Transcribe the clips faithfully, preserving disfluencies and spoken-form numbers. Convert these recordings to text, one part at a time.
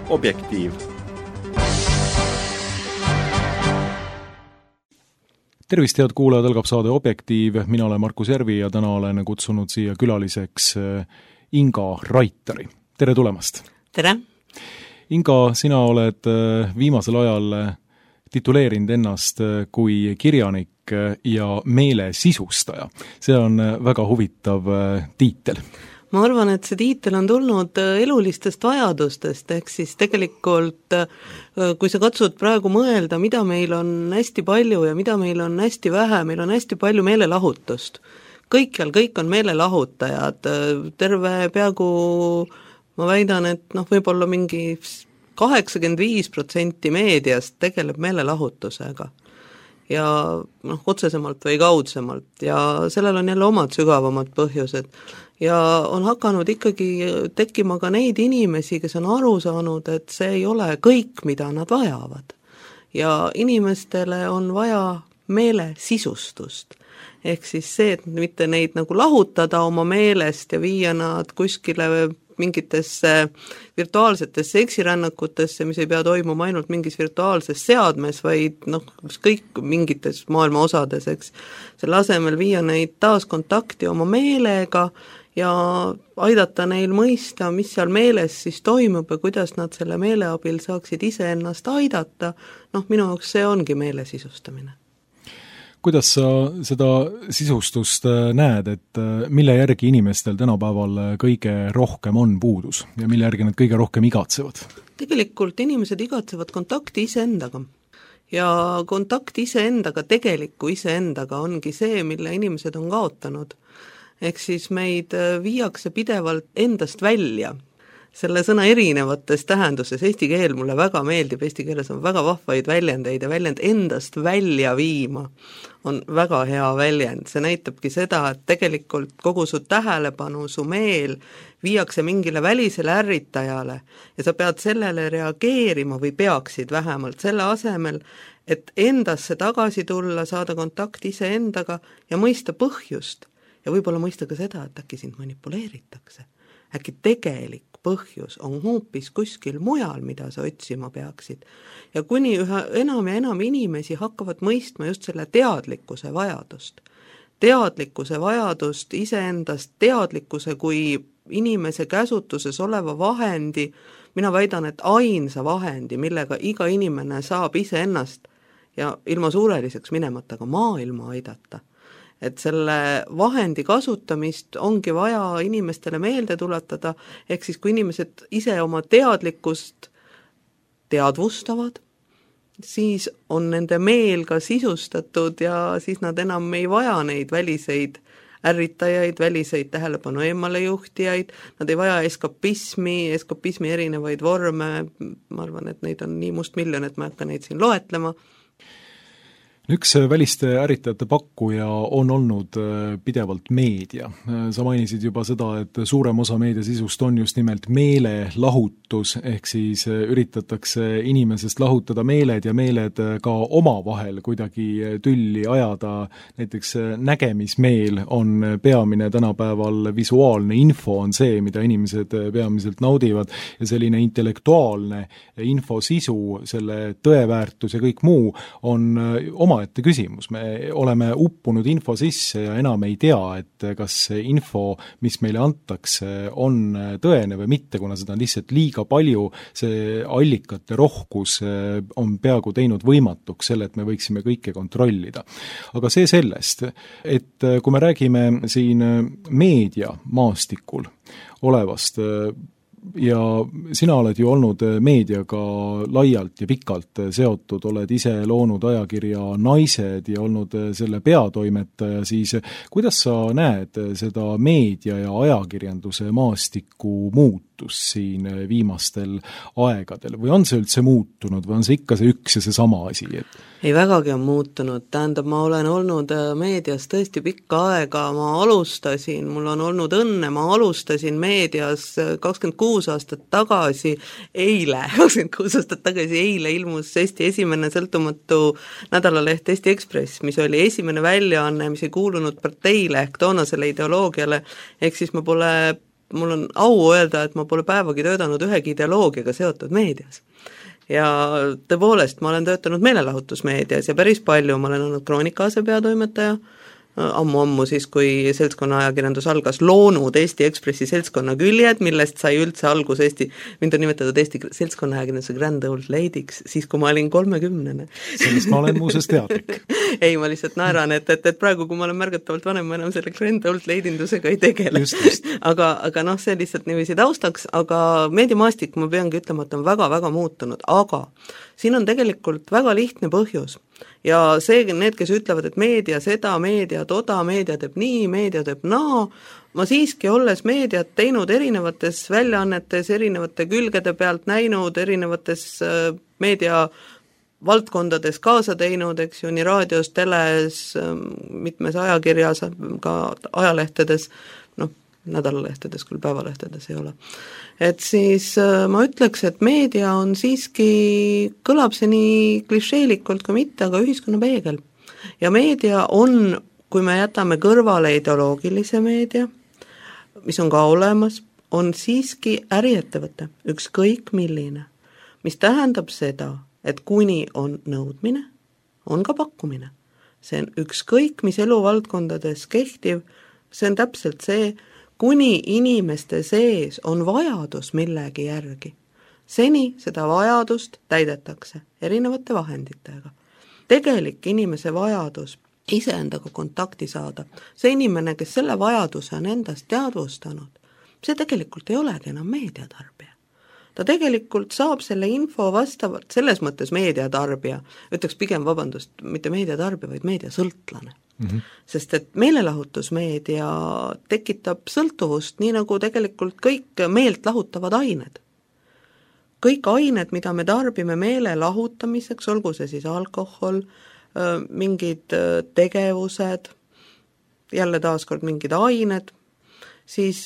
Objektiiv. Tervist, head kuulajad, algab saade Objektiiv. Mina olen Markus Järvi ja täna olen kutsunud siia külaliseks Inga Raitari. Tere tulemast! Tere! Inga, sina oled viimasel ajal tituleerinud ennast kui kirjanik ja meele sisustaja. See on väga huvitav tiitel. Ma arvan, et see tiitel on tulnud elulistest vajadustest, ehk siis tegelikult, kui sa katsud praegu mõelda, mida meil on hästi palju ja mida meil on hästi vähe, meil on hästi palju meelelahutust. Kõikjal, kõik on meelelahutajad, terve peaaegu, ma väidan, et noh, võib-olla mingi kaheksakümmend viis protsenti meediast tegeleb meelelahutusega. Ja noh, otsesemalt või kaudsemalt ja sellel on jälle omad sügavamad põhjused ja on hakanud ikkagi tekkima ka neid inimesi, kes on aru saanud, et see ei ole kõik, mida nad vajavad ja inimestele on vaja meele sisustust ehk siis see, et mitte neid nagu lahutada oma meelest ja viia nad kuskile mingitesse virtuaalsetesse eksirännakutesse, mis ei pea toimuma ainult mingis virtuaalses seadmes, vaid noh, kõik mingites maailma osades, eks. Selle asemel viia neid taas kontakti oma meelega ja aidata neil mõista, mis seal meeles siis toimub ja kuidas nad selle meele abil saaksid ise ennast aidata. Noh, minu jaoks see ongi meele sisustamine. Kuidas sa seda sisustust näed, et mille järgi inimestel tänapäeval kõige rohkem on puudus ja mille järgi nad kõige rohkem igatsevad? Tegelikult inimesed igatsevad kontakti iseendaga ja kontakt iseendaga, tegeliku iseendaga ongi see, mille inimesed on kaotanud. Ehk siis meid viiakse pidevalt endast välja. Selle sõna erinevates tähenduses, eesti keel mulle väga meeldib, eesti keeles on väga vahvaid väljendeid ja väljend endast välja viima on väga hea väljend. See näitabki seda, et tegelikult kogu su tähelepanu, su meel viiakse mingile välisele ärritajale ja sa pead sellele reageerima või peaksid vähemalt selle asemel, et endasse tagasi tulla, saada kontakt iseendaga ja mõista põhjust ja võib-olla mõista ka seda, et äkki sind manipuleeritakse. Äkki tegelik põhjus on hoopis kuskil mujal, mida sa otsima peaksid. Ja kuni üha enam ja enam inimesi hakkavad mõistma just selle teadlikkuse vajadust. Teadlikkuse vajadust iseendast, teadlikkuse kui inimese käsutuses oleva vahendi, mina väidan, et ainsa vahendi, millega iga inimene saab iseennast ja ilma suureliseks minemata ka maailma aidata. Et selle vahendi kasutamist ongi vaja inimestele meelde tuletada, ehk siis kui inimesed ise oma teadlikkust teadvustavad, siis on nende meel ka sisustatud ja siis nad enam ei vaja neid väliseid ärritajaid, väliseid tähelepanu eemale juhtijaid, nad ei vaja eskapismi, eskapismi erinevaid vorme, ma arvan, et neid on nii must miljon, et ma ei hakka neid siin loetlema. Üks väliste ärritajate pakkuja on olnud pidevalt meedia. Sa mainisid juba seda, et suurem osa meediasisust on just nimelt meelelahutus, ehk siis üritatakse inimesest lahutada meeled ja meeled ka omavahel kuidagi tülli ajada. Näiteks nägemismeel on peamine tänapäeval, visuaalne info on see, mida inimesed peamiselt naudivad ja selline intellektuaalne info sisu, selle tõeväärtus ja kõik muu on oma ette küsimus. Me oleme uppunud info sisse ja enam ei tea, et kas info, mis meile antakse, on tõene või mitte, kuna seda on lihtsalt liiga palju, see allikate rohkus on peaaegu teinud võimatuks selle, et me võiksime kõike kontrollida. Aga see sellest, et kui me räägime siin meedia maastikul olevast ja sina oled ju olnud meediaga laialt ja pikalt seotud, oled ise loonud ajakirja Naised ja olnud selle peatoimetaja, siis kuidas sa näed seda meedia ja ajakirjanduse maastiku muutumist? muutus siin viimastel aegadel või on see üldse muutunud või on see ikka see üks ja see sama asi? Et... ei, vägagi on muutunud, tähendab, ma olen olnud meedias tõesti pikka aega, ma alustasin, mul on olnud õnne, ma alustasin meedias kakskümmend kuus aastat tagasi, eile, kakskümmend kuus aastat tagasi, eile ilmus Eesti esimene sõltumatu nädalaleht Eesti Ekspress, mis oli esimene väljaanne, mis ei kuulunud parteile ehk toonasele ideoloogiale, ehk siis ma pole, mul on au öelda, et ma pole päevagi töötanud ühegi ideoloogiaga seotud meedias. Ja tõepoolest, ma olen töötanud meelelahutusmeedias ja päris palju, ma olen olnud Kroonika asepeatoimetaja, ammu-ammu siis, kui seltskonna ajakirjandus algas, loonud Eesti Ekspressi seltskonna küljed, millest sai üldse algus Eesti, mind on nimetatud Eesti seltskonna ajakirjanduse Grand Old Lady'ks, siis kui ma olin kolmekümnene. Sellest ma olen muuseas teadlik. ei, ma lihtsalt naeran, et, et, et praegu, kui ma olen märgatavalt vanem, ma enam selle Grand Old Lady'ndusega ei tegele. Just, just. aga, aga noh, see lihtsalt niiviisi taustaks, aga meediamaastik, ma peangi ütlema, et on väga-väga muutunud, aga siin on tegelikult väga lihtne põhjus. Ja see, need, kes ütlevad, et meedia seda, meedia toda, meedia teeb nii, meedia teeb naa, ma siiski olles meediat teinud erinevates väljaannetes, erinevate külgede pealt näinud, erinevates meedia valdkondades kaasa teinud, eks ju, nii raadios, teles, mitmes ajakirjas, ka ajalehtedes, noh, nädalalehtedes, küll päevalehtedes ei ole. Et siis ma ütleks, et meedia on siiski, kõlab see nii klišeelikult kui mitte, aga ühiskonna peegel. Ja meedia on, kui me jätame kõrvale ideoloogilise meedia, mis on ka olemas, on siiski äriettevõte, ükskõik milline, mis tähendab seda, et kuni on nõudmine, on ka pakkumine. See on ükskõik, mis eluvaldkondades kehtiv, see on täpselt see, kuni inimeste sees on vajadus millegi järgi. Seni seda vajadust täidetakse erinevate vahenditega. Tegelik inimese vajadus iseendaga kontakti saada, see inimene, kes selle vajaduse on endast teadvustanud, see tegelikult ei olegi enam meediatarbija. Ta tegelikult saab selle info vastavalt, selles mõttes meediatarbija, ütleks pigem vabandust, mitte meediatarbija, vaid meediasõltlane. Mm-hmm. Sest et meelelahutusmeedia tekitab sõltuvust, nii nagu tegelikult kõik meelt lahutavad ained. Kõik ained, mida me tarbime meele lahutamiseks, olgu see siis alkohol, mingid tegevused, jälle taaskord mingid ained, siis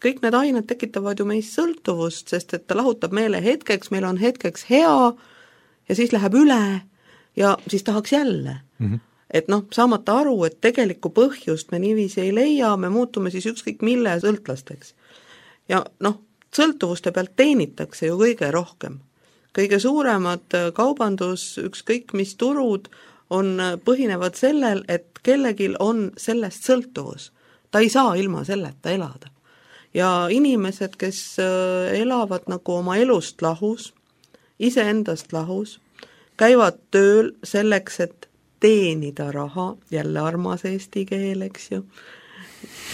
kõik need ained tekitavad ju meist sõltuvust, sest et ta lahutab meele hetkeks, meil on hetkeks hea ja siis läheb üle ja siis tahaks jälle. Mm-hmm. Et noh, saamata aru, et tegelikku põhjust me niiviisi ei leia, me muutume siis ükskõik mille sõltlasteks. Ja noh, sõltuvuste pealt teenitakse ju kõige rohkem. Kõige suuremad kaubandus, ükskõik mis turud, on põhinevad sellel, et kellegil on sellest sõltuvus. Ta ei saa ilma selleta elada. Ja inimesed, kes elavad nagu oma elust lahus, iseendast lahus, käivad tööl selleks, et teenida raha, jälle armas eesti keel, eks ju,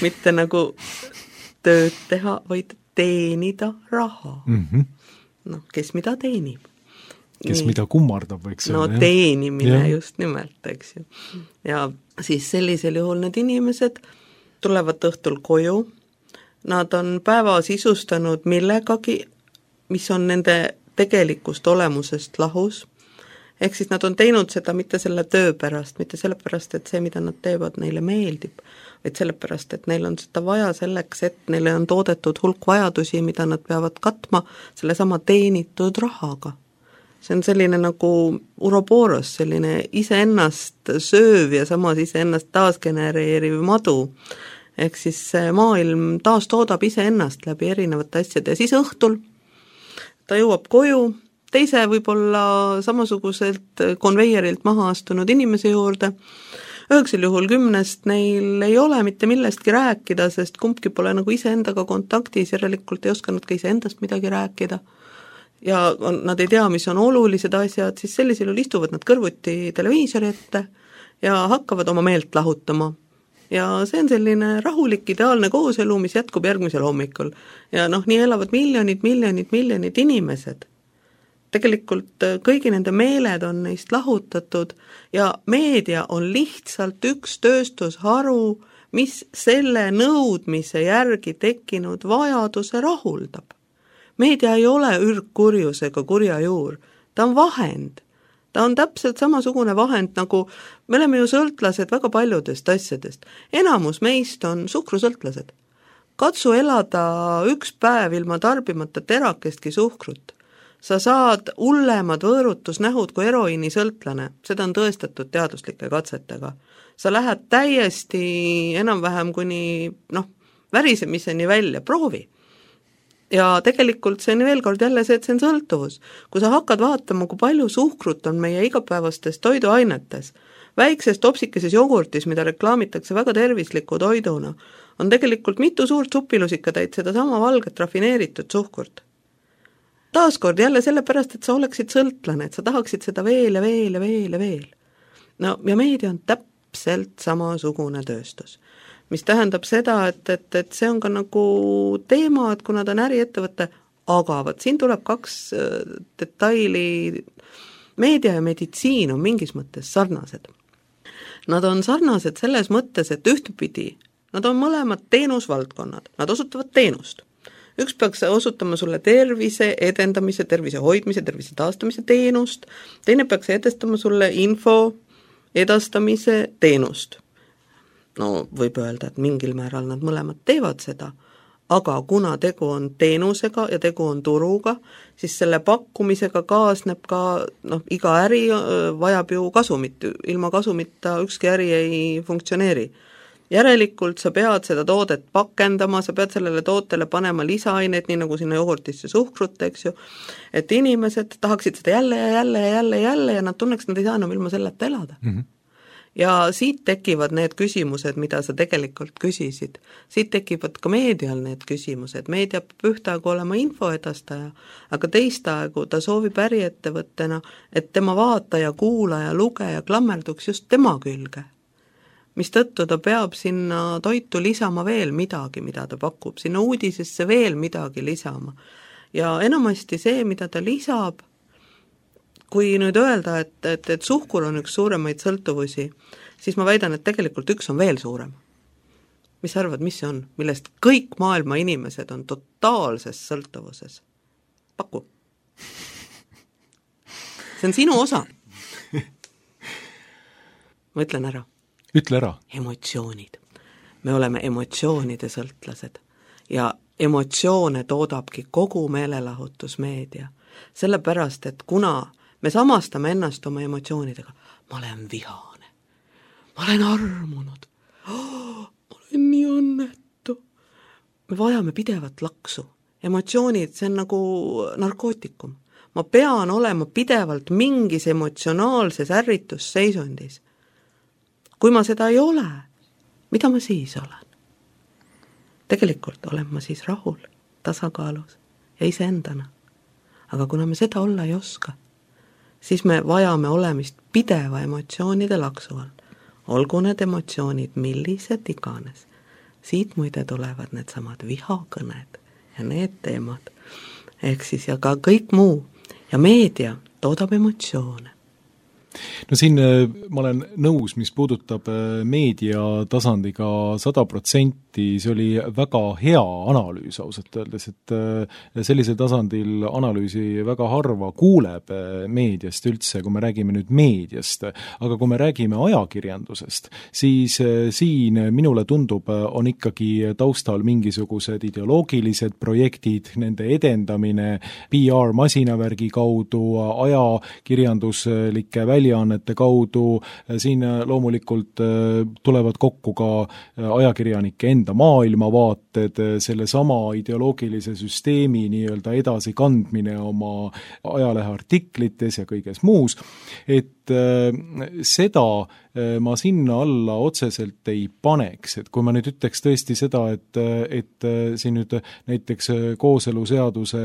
mitte nagu tööd teha, vaid teenida raha. Mm-hmm. noh, kes mida teenib. Kes Nii. mida kummardab, võiks no öelda. No teenimine ja. Just nimelt, eks ju. Ja siis sellisel juhul need inimesed tulevad õhtul koju, nad on päeva sisustanud millegagi, mis on nende tegelikust olemusest lahus, ehk siis nad on teinud seda mitte selle töö pärast, mitte sellepärast, et see, mida nad teevad, neile meeldib, vaid sellepärast, et neil on seda vaja selleks, et neile on toodetud hulk vajadusi, mida nad peavad katma selle sama teenitud rahaga. See on selline nagu uroboros, selline iseennast sööv ja samas iseennast taasgenereeriv madu. Ehk siis see maailm taas toodab iseennast läbi erinevate asjade ja siis õhtul ta jõuab koju, teise võib-olla samasuguselt konveierilt maha astunud inimese juurde. Üheksel juhul kümnest neil ei ole mitte millestki rääkida, sest kumbki pole nagu iseendaga kontaktis, järelikult ei osanud ka iseendast midagi rääkida. Ja on, nad ei tea, mis on olulised asjad, siis sellisel juhul istuvad nad kõrvuti televiisori ette ja hakkavad oma meelt lahutama. Ja see on selline rahulik, ideaalne kooselu, mis jätkub järgmisel hommikul. Ja noh, nii elavad miljonid, miljonid, miljonid inimesed. Tegelikult kõigi nende meeled on neist lahutatud ja meedia on lihtsalt üks tööstusharu, mis selle nõudmise järgi tekkinud vajaduse rahuldab. Meedia ei ole ürgkurjus ega kurja juur, ta on vahend. Ta on täpselt samasugune vahend, nagu me oleme ju sõltlased väga paljudest asjadest. Enamus meist on suhkrusõltlased. Katsu elada üks päev ilma tarbimata terakestki suhkrut. Sa saad hullemad võõrutusnähud kui eroiini sõltlane, seda on tõestatud teaduslike katsetega. Sa lähed täiesti enam-vähem kuni noh, värisemiseni välja, proovi. Ja tegelikult see on veel kord jälle see, et see on sõltuvus. Kui sa hakkad vaatama, kui palju suhkrut on meie igapäevastes toiduainetes, väikses topsikeses jogurtis, mida reklaamitakse väga tervisliku toiduna, on tegelikult mitu suurt supilusikatäit seda sama valget rafineeritud suhkurt. Taaskord jälle sellepärast, et sa oleksid sõltlane, et sa tahaksid seda veel ja veel ja veel ja veel. No, ja meedia on täpselt samasugune tööstus, mis tähendab seda, et, et, et see on ka nagu teema, et kuna ta on äriettevõte, aga võt, siin tuleb kaks detaili, meedia ja meditsiin on mingis mõttes sarnased. Nad on sarnased selles mõttes, et ühtepidi, nad on mõlemad teenusvaldkonnad, nad osutavad teenust. Üks peaks osutama sulle tervise edendamise, tervise hoidmise, tervise taastamise teenust, teine peaks edestama sulle info edastamise teenust. No võib öelda, et mingil määral nad mõlemad teevad seda, aga kuna tegu on teenusega ja tegu on turuga, siis selle pakkumisega kaasneb ka, noh, iga äri vajab ju kasumit, ilma kasumita ükski äri ei funktsioneeri. Järelikult sa pead seda toodet pakendama, sa pead sellele tootele panema lisaaineid, nii nagu sinna jogurtisse suhkrut, eks ju, et inimesed tahaksid seda jälle ja jälle ja jälle ja jälle ja nad tunneks, nad ei saa enam ilma selleta elada. Mm-hmm. Ja siit tekivad need küsimused, mida sa tegelikult küsisid. Siit tekivad ka meedial need küsimused. Meedia peab ühtaegu olema infoedastaja, aga teistaegu ta soovib äriettevõttena, et tema vaataja, kuulaja, lugeja klammerduks just tema külge. Mis tõttu ta peab sinna toitu lisama veel midagi, mida ta pakub, sinna uudisesse veel midagi lisama. Ja enamasti see, mida ta lisab, kui nüüd öelda, et, et, et suhkur on üks suuremaid sõltuvusi, siis ma väidan, et tegelikult üks on veel suurem. Mis sa arvad, mis see on? Millest kõik maailma inimesed on totaalses sõltuvuses. Paku. See on sinu osa. Ma ütlen ära. Ütle ära. Emotsioonid. Me oleme emotsioonide sõltlased ja emotsioone toodabki kogu meelelahutusmeedia. Sellepärast, et kuna me samastame ennast oma emotsioonidega, ma olen vihane, ma olen armunud, oh, ma olen nii õnnetu. Me vajame pidevat laksu. Emotsioonid, see on nagu narkootikum. Ma pean olema pidevalt mingis emotsionaalses ärritusseisundis. Kui ma seda ei ole, mida ma siis olen? Tegelikult olen ma siis rahul, tasakaalus ja iseendana. Aga kuna me seda olla ei oska, siis me vajame olemist pideva emotsioonide laksu all. Olgu need emotsioonid millised iganes. Siit muide tulevad need samad vihakõned ja need teemad. Ehk siis ja ka kõik muu. Ja meedia toodab emotsioone. No siin ma olen nõus, mis puudutab meedia tasandiga sada protsenti, see oli väga hea analüüs ausalt öeldes, et sellisel tasandil analüüsi väga harva kuuleb meediast üldse, kui me räägime nüüd meediast, aga kui me räägime ajakirjandusest, siis siin minule tundub, on ikkagi taustal mingisugused ideoloogilised projektid, nende edendamine P R-masinavärgi kaudu, ajakirjanduslike välja väljaannete kaudu, siin loomulikult tulevad kokku ka ajakirjanike enda maailmavaated, selle sama ideoloogilise süsteemi nii-öelda edasi kandmine oma ajaleheartiklites ja kõiges muus, et seda ma sinna alla otseselt ei paneks, et kui ma nüüd ütleks tõesti seda, et, et siin nüüd näiteks kooseluseaduse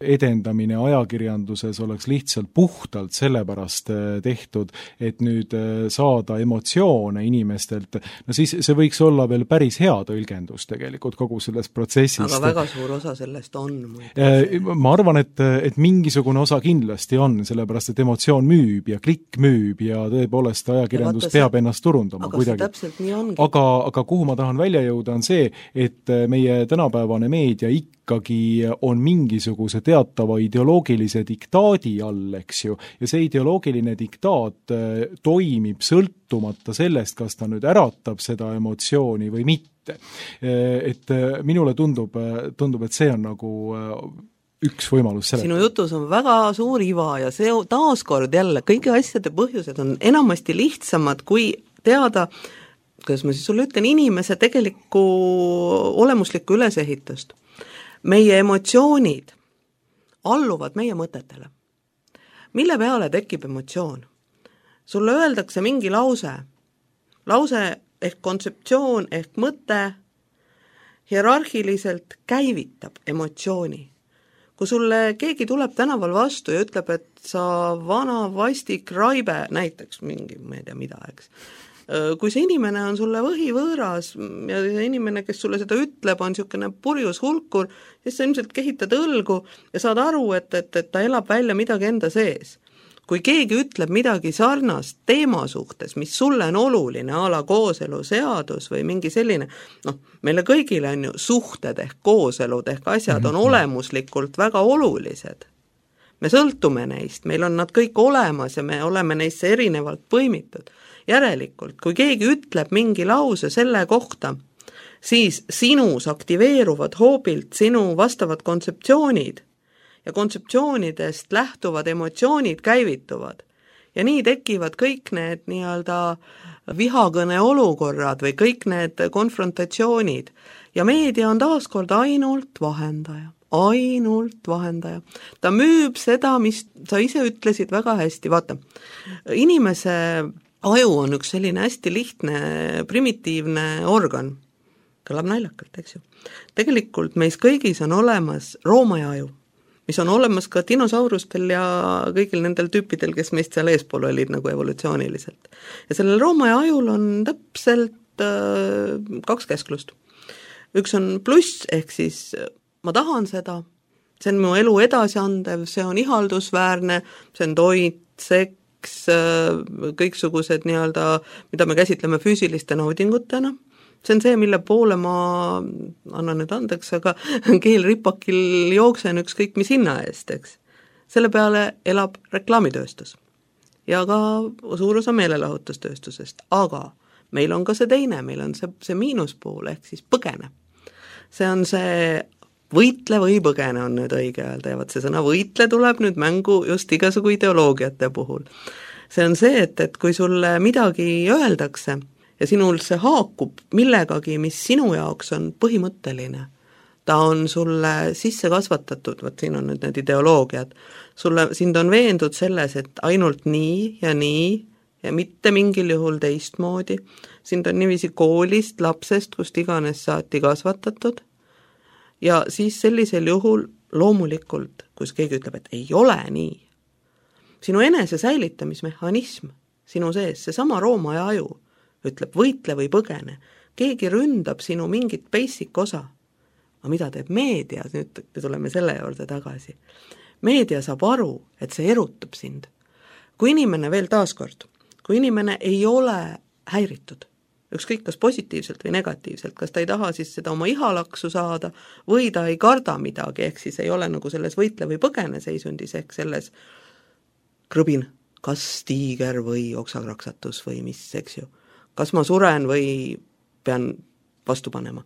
edendamine ajakirjanduses oleks lihtsalt puhtalt sellepärast tehtud, et nüüd saada emotsioone inimestelt, no siis see võiks olla veel päris hea tõlgendus tegelikult kogu sellest protsessist. Aga väga suur osa sellest on. Ma arvan, et, et mingisugune osa kindlasti on, sellepärast et emotsioon müüb ja klikk kõik müüb ja tõepoolest ajakirjandus peab see, ennast turundama aga kuidagi. Täpselt nii ongi. Aga, aga kuhu ma tahan välja jõuda, on see, et meie tänapäevane meedia ikkagi on mingisuguse teatava ideoloogilise diktaadi all, eks ju, ja see ideoloogiline diktaat toimib sõltumata sellest, kas ta nüüd äratab seda emotsiooni või mitte. Et minule tundub, tundub, et see on nagu üks võimalus selle. Sinu jutus on väga suur iva ja see taaskord jälle, kõigi asjade põhjused on enamasti lihtsamad, kui teada, kuidas ma siis sulle ütlen, inimese tegelikku olemuslikku ülesehitust. Meie emotsioonid alluvad meie mõtetele. Mille peale tekib emotsioon? Sulle öeldakse mingi lause, lause ehk kontseptsioon ehk mõte hierarhiliselt käivitab emotsiooni. Kui sulle keegi tuleb tänaval vastu ja ütleb, et sa vana vastik raibe, näiteks mingi, ma ei tea mida, eks. Kui see inimene on sulle võhivõõras ja see inimene, kes sulle seda ütleb, on niisugune purjus hulkur, siis sa ilmselt kehitad õlgu ja saad aru, et, et, et ta elab välja midagi enda sees. Kui keegi ütleb midagi sarnast teema suhtes, mis sulle on oluline, a la kooselu-seadus või mingi selline, noh, meile kõigile on ju suhted ehk kooselud ehk asjad on olemuslikult väga olulised. Me sõltume neist, meil on nad kõik olemas ja me oleme neisse erinevalt põimitud. Järelikult, kui keegi ütleb mingi lause selle kohta, siis sinus aktiveeruvad hoobilt sinu vastavad kontseptsioonid, ja kontseptsioonidest lähtuvad emotsioonid käivituvad. Ja nii tekivad kõik need nii-öelda vihakõne olukorrad või kõik need konfrontatsioonid. Ja meedia on taaskord ainult vahendaja, ainult vahendaja. Ta müüb seda, mis sa ise ütlesid väga hästi. Vaata, inimese aju on üks selline hästi lihtne, primitiivne organ. Kõlab naljakalt, eks ju. Tegelikult meis kõigis on olemas roomaja aju, mis on olemas ka dinosaurustel ja kõigil nendel tüüpidel, kes meist seal eespool olid nagu evolutsiooniliselt. Ja sellel roomaja ajul on täpselt äh, kaks käsklust. Üks on pluss, ehk siis ma tahan seda, see on mu elu edasiandev, see on ihaldusväärne, see on toit, seks, äh, kõiksugused nii-öelda, mida me käsitleme füüsiliste naudingutena. See on see, mille poole ma annan nüüd andeks, aga keelripakil jooksen ükskõik mis hinna eest, eks. Selle peale elab reklaamitööstus ja ka suur osa meelelahutustööstusest, aga meil on ka see teine, meil on see, see miinuspool ehk siis põgene. See on see võitle või põgene on nüüd õige öelda ja vaat see sõna võitle tuleb nüüd mängu just igasugu ideoloogiate puhul. See on see, et, et kui sulle midagi öeldakse, ja sinul see haakub millegagi, mis sinu jaoks on põhimõtteline. Ta on sulle sisse kasvatatud, võt siin on nüüd need ideoloogiad, sulle, sind on veendud selles, et ainult nii ja nii ja mitte mingil juhul teistmoodi. Sind on niiviisi koolist, lapsest, kust iganes saati kasvatatud ja siis sellisel juhul loomulikult, kus keegi ütleb, et ei ole nii, sinu enese säilitamismehhanism sinu sees, see sama roomaja aju, ütleb võitle või põgene, keegi ründab sinu mingit basic osa. Aga mida teeb meedia, nüüd tuleme selle juurde tagasi. Meedia saab aru, et see erutab sind. Kui inimene veel taaskord, kui inimene ei ole häiritud, ükskõik kas positiivselt või negatiivselt, kas ta ei taha siis seda oma ihalaksu saada või ta ei karda midagi, ehk siis ei ole nagu selles võitle või põgene seisundis, ehk selles krõbin, kas tiiger või oksakraksatus või mis, eks ju. Kas ma suren või pean vastu panema.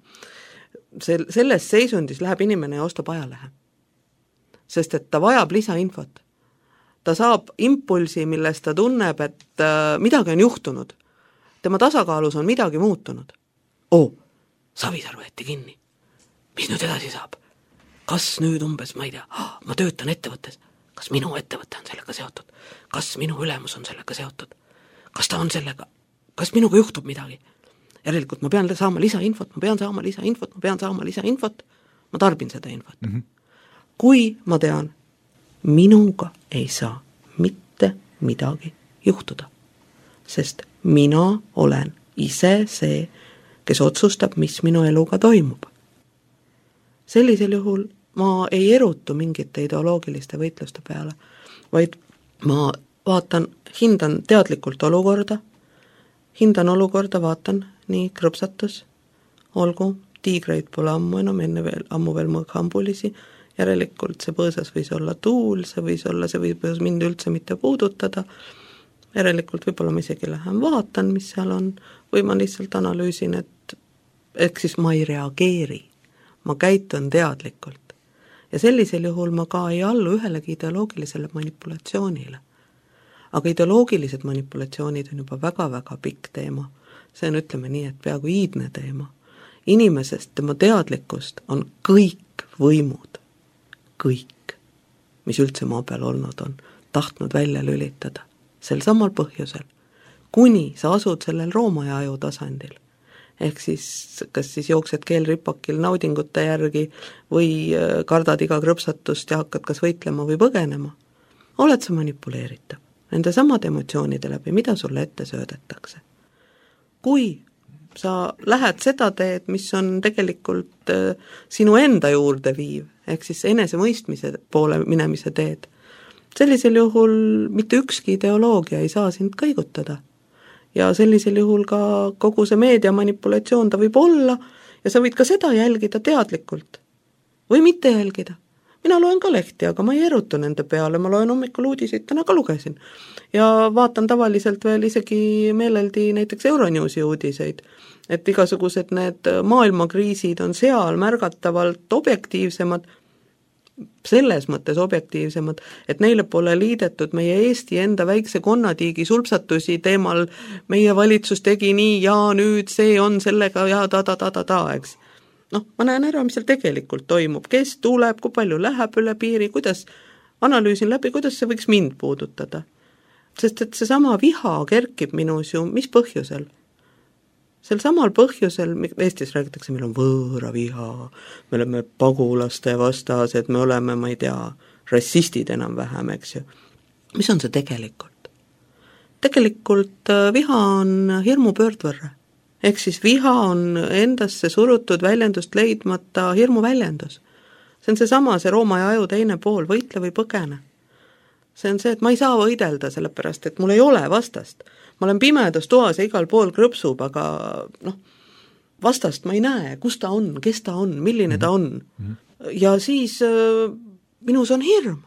Sel, selles seisundis läheb inimene ja ostab ajalehe. Sest et ta vajab lisainfot. Ta saab impulsi, millest ta tunneb, et äh, midagi on juhtunud. Tema tasakaalus on midagi muutunud. Oo, Savisaar võeti kinni. Mis nüüd edasi saab? Kas nüüd umbes, ma ei tea, ah, ma töötan ettevõttes. Kas minu ettevõte on sellega seotud? Kas minu ülemus on sellega seotud? Kas ta on sellega? Kas minuga juhtub midagi? Järelikult ma pean saama lisainfot, ma pean saama lisainfot, ma pean saama lisainfot, ma tarbin seda infot. Mm-hmm. Kui ma tean, minuga ei saa mitte midagi juhtuda, sest mina olen ise see, kes otsustab, mis minu eluga toimub. Sellisel juhul ma ei erutu mingite ideoloogiliste võitluste peale, vaid ma vaatan, hindan teadlikult olukorda, hindan olukorda, vaatan, nii krõpsatus, olgu, tiigreid pole ammu enam, enne veel, ammu veel mõõghambulisi, järelikult see põõsas võis olla tuul, see võis olla, see võis mind üldse mitte puudutada, järelikult võib-olla ma isegi lähen vaatan, mis seal on, või ma lihtsalt analüüsin, et ehk siis ma ei reageeri, ma käitun teadlikult. Ja sellisel juhul ma ka ei allu ühelegi ideoloogilisele manipulatsioonile. Aga ideoloogilised manipulatsioonid on juba väga-väga pikk teema. See on, ütleme nii, et peaaegu iidne teema. Inimesest, tema teadlikkust on kõik võimud, kõik, mis üldse maa peal olnud on, tahtnud välja lülitada. Sel samal põhjusel, kuni sa asud sellel Rooma aju tasandil. Ehk siis, kas siis jooksed keelripakil naudingute järgi või kardad iga krõpsatust ja hakkad kas võitlema või põgenema, oled sa manipuleeritav nende samade emotsioonide läbi, mida sulle ette söödetakse. Kui sa lähed seda teed, mis on tegelikult sinu enda juurde viiv, ehk siis enesemõistmise poole minemise teed, sellisel juhul mitte ükski ideoloogia ei saa sind kõigutada. Ja sellisel juhul ka kogu see meedia manipulatsioon ta võib olla ja sa võid ka seda jälgida teadlikult või mitte jälgida. Mina loen ka lehti, aga ma ei erutu nende peale, ma loen hommikul uudiseid, täna ka lugesin. Ja vaatan tavaliselt veel isegi meeleldi näiteks Euronewsi uudiseid, et igasugused need maailmakriisid on seal märgatavalt objektiivsemad, selles mõttes objektiivsemad, et neile pole liidetud meie Eesti enda väikse konnatiigi sulpsatusi teemal meie valitsus tegi nii ja nüüd see on sellega ja ta-ta-ta-ta-ta, eks. Noh, ma näen ära, mis seal tegelikult toimub, kes tuleb, kui palju läheb üle piiri, kuidas analüüsin läbi, kuidas see võiks mind puudutada. Sest et see sama viha kerkib minus ju, mis põhjusel? Sel samal põhjusel, Eestis räägitakse, meil on võõra viha, me oleme pagulaste vastased, me oleme, ma ei tea, rassistid enam vähem, eks ju. Mis on see tegelikult? Tegelikult viha on hirmu pöördvõrre. Ehk siis viha on endasse surutud väljendust leidmata hirmu väljendus. See on see sama, see Rooma aju teine pool, võitle või põgene. See on see, et ma ei saa võidelda sellepärast, et mul ei ole vastast. Ma olen pimedas toas ja igal pool krõpsub, aga noh, vastast ma ei näe, kus ta on, kes ta on, milline ta on. Ja siis äh, minus on hirm.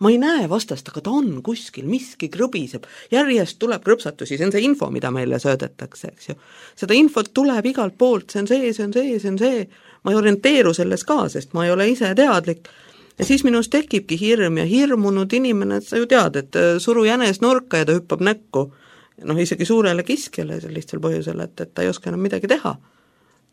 Ma ei näe vastast, aga ta on kuskil, miski krõbiseb, järjest tuleb krõpsatusi, see on see info, mida meile söödetakse, eks ju. Seda infot tuleb igalt poolt, see on see, see on see, see on see, ma ei orienteeru selles ka, sest ma ei ole ise teadlik. Ja siis minus tekibki hirm ja hirmunud inimene, et sa ju tead, et suru jänes nurka ja ta hüppab näkku, noh isegi suurele kiskjale lihtsal põhjusel, et, et ta ei oska enam midagi teha.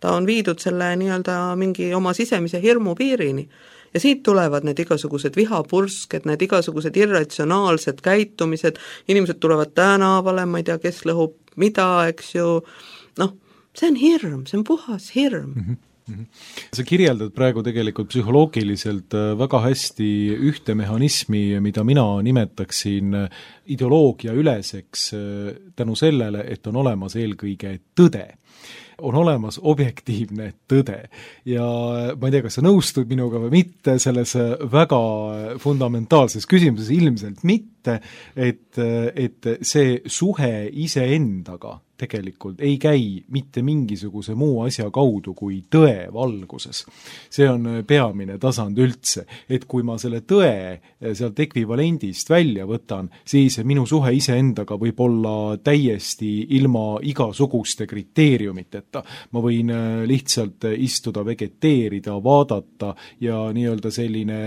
Ta on viidud selle nii-öelda mingi oma sisemise hirmu piirini. Ja siit tulevad need igasugused vihapursked, need igasugused irratsionaalsed käitumised, inimesed tulevad tänavale, ma ei tea, kes lõhub mida, eks ju, noh, see on hirm, see on puhas hirm. Mm-hmm. Sa kirjeldad praegu tegelikult psühholoogiliselt väga hästi ühte mehhanismi, mida mina nimetaksin ideoloogia üleseks tänu sellele, et on olemas eelkõige tõde. On olemas objektiivne tõde ja ma ei tea, kas sa nõustud minuga või mitte selles väga fundamentaalses küsimuses, ilmselt mitte, et, et see suhe iseendaga tegelikult ei käi mitte mingisuguse muu asja kaudu kui tõe valguses. See on peamine tasand üldse, et kui ma selle tõe sealt ekvivalendist välja võtan, siis minu suhe iseendaga võib olla täiesti ilma igasuguste kriteeriumiteta. Ma võin lihtsalt istuda, vegeteerida, vaadata ja nii-öelda selline,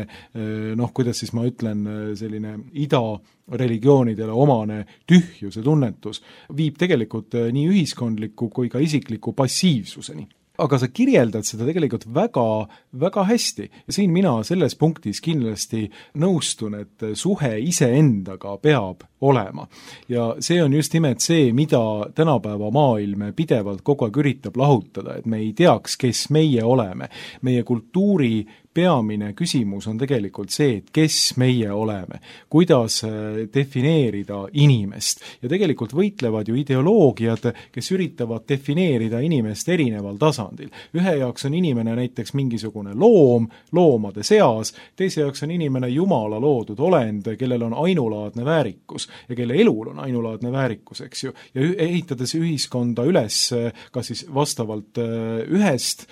noh, kuidas siis ma ütlen, selline ida religioonidele omane tühjuse tunnetus viib tegelikult nii ühiskondliku kui ka isikliku passiivsuseni. Aga sa kirjeldad seda tegelikult väga, väga hästi. Ja siin mina selles punktis kindlasti nõustun, et suhe iseendaga peab olema. Ja see on just nimelt see, mida tänapäeva maailm pidevalt kogu aeg üritab lahutada, et me ei teaks, kes meie oleme. Meie kultuuri peamine küsimus on tegelikult see, et kes meie oleme, kuidas defineerida inimest. Ja tegelikult võitlevad ju ideoloogiad, kes üritavad defineerida inimest erineval tasandil. Ühe jaoks on inimene näiteks mingisugune loom, loomade seas, teise jaoks on inimene jumala loodud olend, kellel on ainulaadne väärikus. ja kelle elul on ainulaadne väärikus, eks ju, ja ehitades ühiskonda üles kas siis vastavalt ühest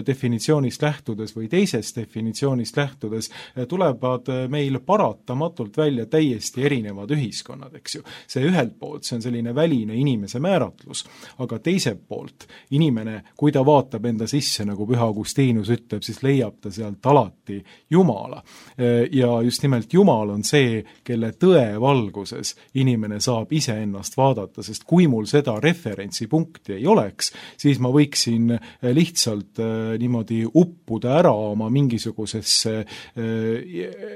definitsioonist lähtudes või teisest definitsioonist lähtudes, tulevad meil paratamatult välja täiesti erinevad ühiskonnad, eks ju. See ühelt poolt, see on selline väline inimese määratlus, aga teiselt poolt inimene, kui ta vaatab enda sisse, nagu Püha Augustinus ütleb, siis leiab ta sealt alati Jumala. Ja just nimelt Jumal on see, kelle tõe valguses inimene saab iseennast vaadata, sest kui mul seda referentsipunkti ei oleks, siis ma võiksin lihtsalt niimoodi uppuda ära oma mingisugusesse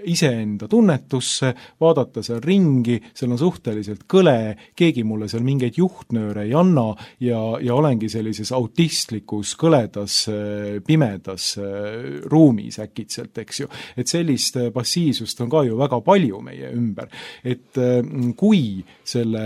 iseenda tunnetusse, vaadata seal ringi, seal on suhteliselt kõle, keegi mulle seal mingeid juhtnööre ei anna ja, ja olengi sellises autistlikus, kõledas, pimedas ruumis äkitselt, eks ju. Et sellist passiivsust on ka ju väga palju meie ümber. Et kui selle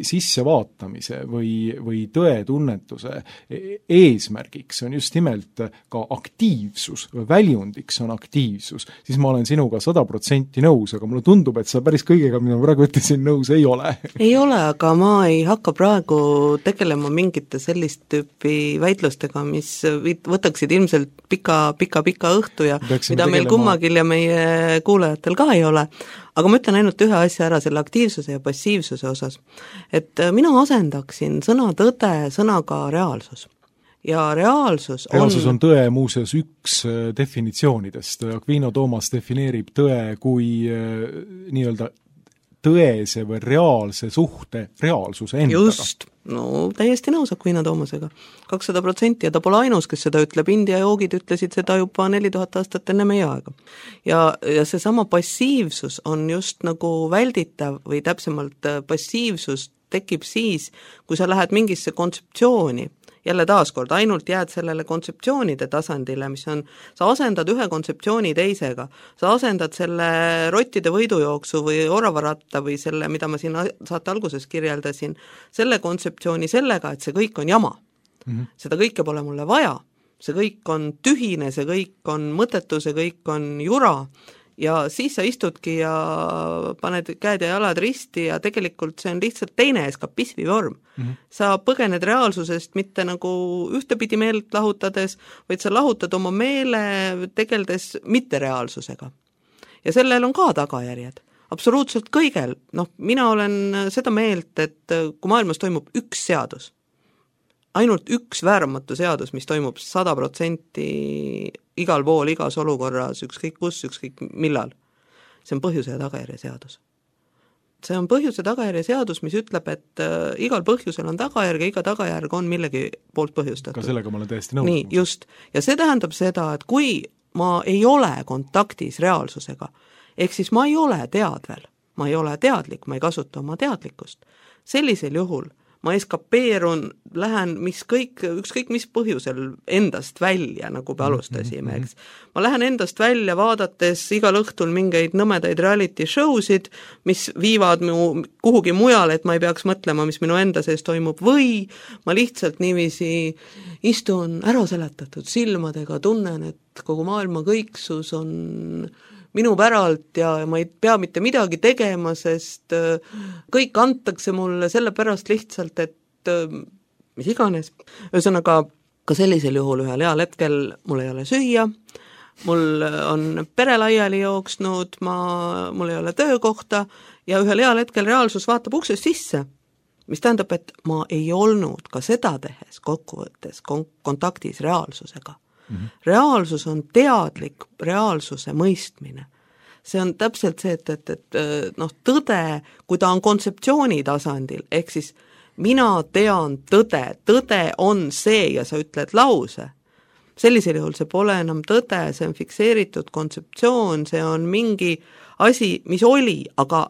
sissevaatamise või, või tõetunnetuse eesmärgiks on just nimelt ka aktiivsus, väljundiks on aktiivsus, siis ma olen sinuga sada protsenti nõus, aga mulle tundub, et sa päris kõigega, mida ma praegu ütlesin, nõus ei ole. Ei ole, aga ma ei hakka praegu tegelema mingite sellist tüüpi väitlustega, mis võtaksid ilmselt pika, pika, pika õhtu ja Peaksime mida meil tegelema... kummagil ja meie kuulajatel ka ei ole. Aga ma ütlen ainult ühe asja ära selle aktiivsuse ja passiivsuse osas. Et mina asendaksin sõna tõde sõnaga reaalsus. Ja reaalsus on... Reaalsus on tõe muuseas üks definitsioonidest. Aquino Toomas defineerib tõe kui nii-öelda tõese või reaalse suhte reaalsuse endaga. Just, no täiesti nõus Aquino Toomasega. kakssada protsenti ja ta pole ainus, kes seda ütleb. India joogid ütlesid seda juba neli tuhat aastat enne meie aega. Ja, ja see sama passiivsus on just nagu välditav või täpsemalt passiivsus tekib siis, kui sa lähed mingisse kontseptsiooni, jälle taaskord, ainult jääd sellele kontseptsioonide tasandile, mis on, sa asendad ühe kontseptsiooni teisega, sa asendad selle rottide võidujooksu või oravaratta või selle, mida ma siin saate alguses kirjeldasin, selle kontseptsiooni sellega, et see kõik on jama. Mm-hmm. Seda kõike pole mulle vaja, see kõik on tühine, see kõik on mõttetu, see kõik on jura, ja siis sa istudki ja paned käed ja jalad risti ja tegelikult see on lihtsalt teine eskapismi vorm. Mm-hmm. Sa põgened reaalsusest mitte nagu ühtepidi meelt lahutades, vaid sa lahutad oma meele tegeldes mittereaalsusega. Ja sellel on ka tagajärjed. Absoluutselt kõigel. Noh, mina olen seda meelt, et kui maailmas toimub üks seadus, ainult üks vääramatu seadus, mis toimub sada protsenti igal pool, igas olukorras, ükskõik kus, ükskõik millal. See on põhjuse ja tagajärje seadus. See on põhjuse tagajärje seadus, mis ütleb, et äh, igal põhjusel on tagajärg ja iga tagajärg on millegi poolt põhjustatud. Ka sellega ma olen täiesti nõus. Nii, just. Ja see tähendab seda, et kui ma ei ole kontaktis reaalsusega, ehk siis ma ei ole teadvel, ma ei ole teadlik, ma ei kasuta oma teadlikkust, sellisel juhul ma eskapeerun, lähen mis kõik, ükskõik mis põhjusel endast välja, nagu me alustasime, eks. Ma lähen endast välja vaadates igal õhtul mingeid nõmedaid reality showsid, mis viivad mu kuhugi mujal, et ma ei peaks mõtlema, mis minu enda sees toimub, või ma lihtsalt niiviisi istun ära seletatud silmadega, tunnen, et kogu maailma kõiksus on minu päralt ja ma ei pea mitte midagi tegema, sest kõik antakse mulle sellepärast lihtsalt, et mis iganes. Ühesõnaga, ka sellisel juhul ühel heal hetkel mul ei ole süüa, mul on pere laiali jooksnud, ma, mul ei ole töökohta ja ühel heal hetkel reaalsus vaatab uksest sisse, mis tähendab, et ma ei olnud ka seda tehes kokkuvõttes kontaktis reaalsusega. Mm-hmm. Reaalsus on teadlik reaalsuse mõistmine. See on täpselt see, et, et, et noh, tõde, kui ta on kontseptsiooni tasandil, ehk siis mina tean tõde, tõde on see ja sa ütled lause. Sellisel juhul see pole enam tõde, see on fikseeritud kontseptsioon, see on mingi asi, mis oli, aga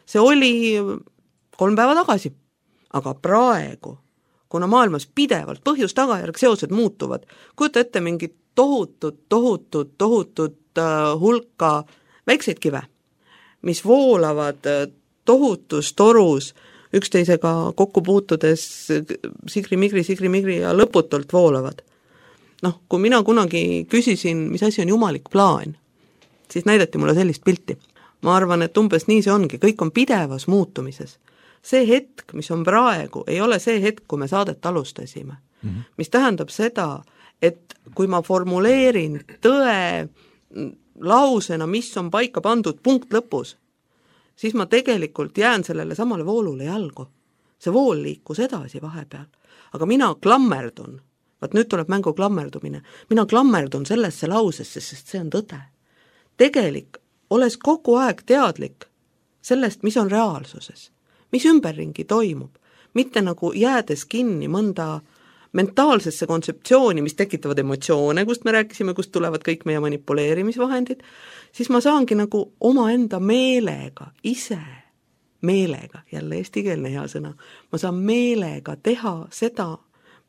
see oli kolm päeva tagasi. Aga praegu kuna maailmas pidevalt põhjus-tagajärg seosed muutuvad, kujuta ette mingit tohutut, tohutut, tohutut uh, hulka väikseid kive, mis voolavad uh, tohutus torus üksteisega kokku puutudes sigri-migri, sigri-migri ja lõputult voolavad. Noh, kui mina kunagi küsisin, mis asi on jumalik plaan, siis näidati mulle sellist pilti. ma arvan, et umbes nii see ongi, kõik on pidevas muutumises. See hetk, mis on praegu, ei ole see hetk, kui me saadet alustasime. Mm-hmm. Mis tähendab seda, et kui ma formuleerin tõe lausena, mis on paika pandud punkt lõpus, siis ma tegelikult jään sellele samale voolule jalgu. See vool liikus edasi vahepeal. Aga mina klammerdun, vaat nüüd tuleb mängu klammerdumine, mina klammerdun sellesse lausesse, sest see on tõde. Tegelik, oles kogu aeg teadlik sellest, mis on reaalsuses, mis ümberringi toimub, mitte nagu jäädes kinni mõnda mentaalsesse kontseptsiooni, mis tekitavad emotsioone, kust me rääkisime, kust tulevad kõik meie manipuleerimisvahendid, siis ma saangi nagu omaenda meelega, ise meelega, jälle eestikeelne hea sõna, ma saan meelega teha seda,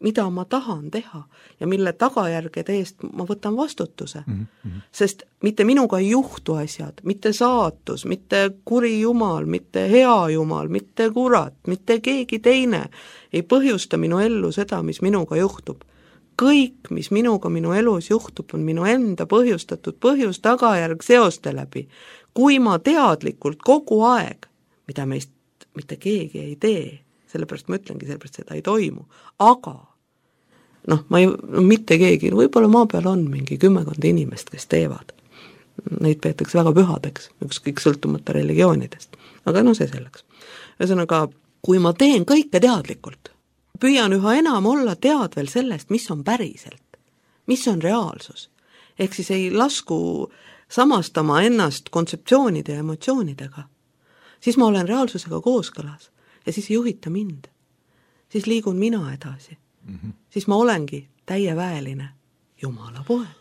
mida ma tahan teha ja mille tagajärgede eest ma võtan vastutuse. Mm-hmm. Sest mitte minuga ei juhtu asjad, mitte saatus, mitte kuri jumal, mitte hea jumal, mitte kurat, mitte keegi teine ei põhjusta minu ellu seda, mis minuga juhtub. Kõik, mis minuga minu elus juhtub, on minu enda põhjustatud põhjus tagajärg seoste läbi. Kui ma teadlikult kogu aeg, mida meist mitte keegi ei tee, sellepärast ma ütlengi, sellepärast seda ei toimu, aga noh, ma ei, no mitte keegi, võib-olla maa peal on mingi kümmekond inimest, kes teevad. Neid peetakse väga pühadeks, ükskõik sõltumata religioonidest. Aga no see selleks. Ühesõnaga, kui ma teen kõike teadlikult, püüan üha enam olla teadvel sellest, mis on päriselt, mis on reaalsus. Ehk siis ei lasku samastama ennast kontseptsioonide ja emotsioonidega. Siis ma olen reaalsusega kooskõlas ja siis ei juhita mind. Siis liigun mina edasi. Mm-hmm. Siis ma olengi täieväeline Jumala poeg.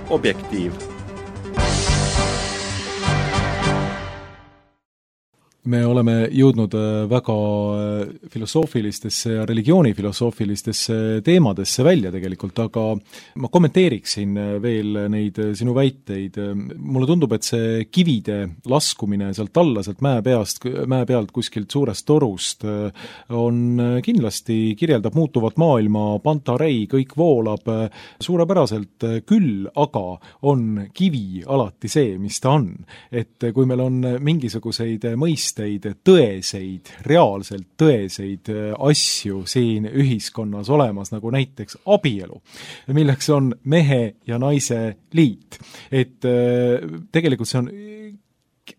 Objektiiv. Me oleme jõudnud väga filosoofilistesse ja religioonifilosoofilistesse teemadesse välja tegelikult, aga ma kommenteeriksin veel neid sinu väiteid. Mulle tundub, et see kivide laskumine sealt alla, sealt mäe peast, mäe pealt kuskilt suurest torust on kindlasti, kirjeldab muutuvat maailma, pantarei, kõik voolab suurepäraselt küll, aga on kivi alati see, mis ta on. Et kui meil on mingisuguseid mõiste tõesteid, tõeseid, reaalselt tõeseid asju siin ühiskonnas olemas, nagu näiteks abielu, milleks on mehe ja naise liit. Et tegelikult see on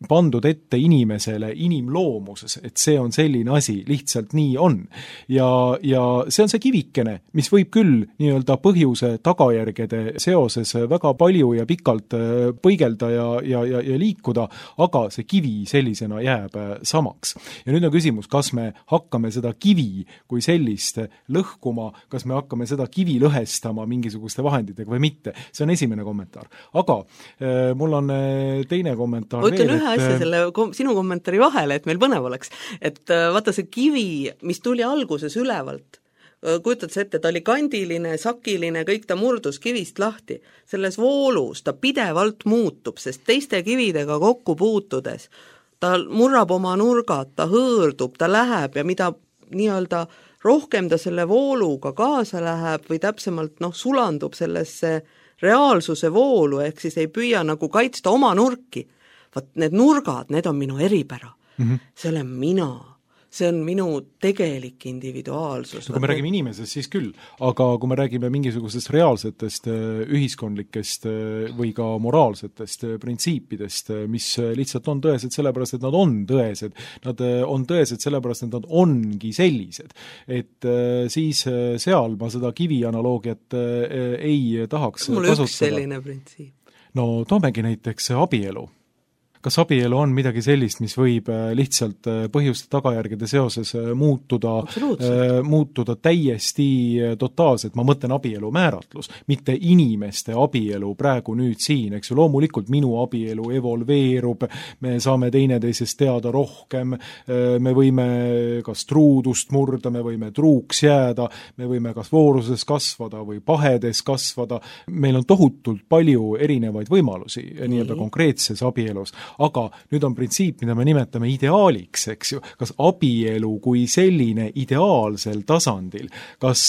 pandud ette inimesele inimloomuses, et see on selline asi, lihtsalt nii on. Ja, ja see on see kivikene, mis võib küll nii-öelda põhjuse tagajärgede seoses väga palju ja pikalt põigelda ja, ja, ja, ja liikuda, aga see kivi sellisena jääb samaks. Ja nüüd on küsimus, kas me hakkame seda kivi kui sellist lõhkuma, kas me hakkame seda kivi lõhestama mingisuguste vahenditega või mitte. See on esimene kommentaar. Aga äh, mul on teine kommentaar Võtan veel, ühe asja selle kom- sinu kommentaari vahele, et meil põnev oleks. Et vaata see kivi, mis tuli alguses ülevalt, kujutad sa ette, ta oli kandiline, sakiline, kõik ta murdus kivist lahti. Selles voolus ta pidevalt muutub, sest teiste kividega kokku puutudes ta murrab oma nurgad, ta hõõrdub, ta läheb ja mida nii-öelda rohkem ta selle vooluga kaasa läheb või täpsemalt noh, sulandub sellesse reaalsuse voolu, ehk siis ei püüa nagu kaitsta oma nurki. Vaat need nurgad, need on minu eripära. Mm-hmm. See olen mina. See on minu tegelik individuaalsus. Kui me räägime inimesest, siis küll, aga kui me räägime mingisugustest reaalsetest ühiskondlikest või ka moraalsetest printsiipidest, mis lihtsalt on tõesed sellepärast, et nad on tõesed, nad on tõesed sellepärast, et nad ongi sellised. Et siis seal ma seda kivi analoogiat ei tahaks kasutada. Mul üks selline printsiip. No toomegi näiteks abielu. Kas abielu on midagi sellist, mis võib lihtsalt põhjuste tagajärgede seoses muutuda, muutuda täiesti totaalselt, ma mõtlen abielu määratlus, mitte inimeste abielu praegu nüüd siin, eks ju, loomulikult minu abielu evolveerub, me saame teineteisest teada rohkem, me võime kas truudust murda, me võime truuks jääda, me võime kas vooruses kasvada või pahedes kasvada, meil on tohutult palju erinevaid võimalusi mm-hmm. nii-öelda konkreetses abielus. Aga nüüd on printsiip, mida me nimetame ideaaliks, eks ju, kas abielu kui selline ideaalsel tasandil, kas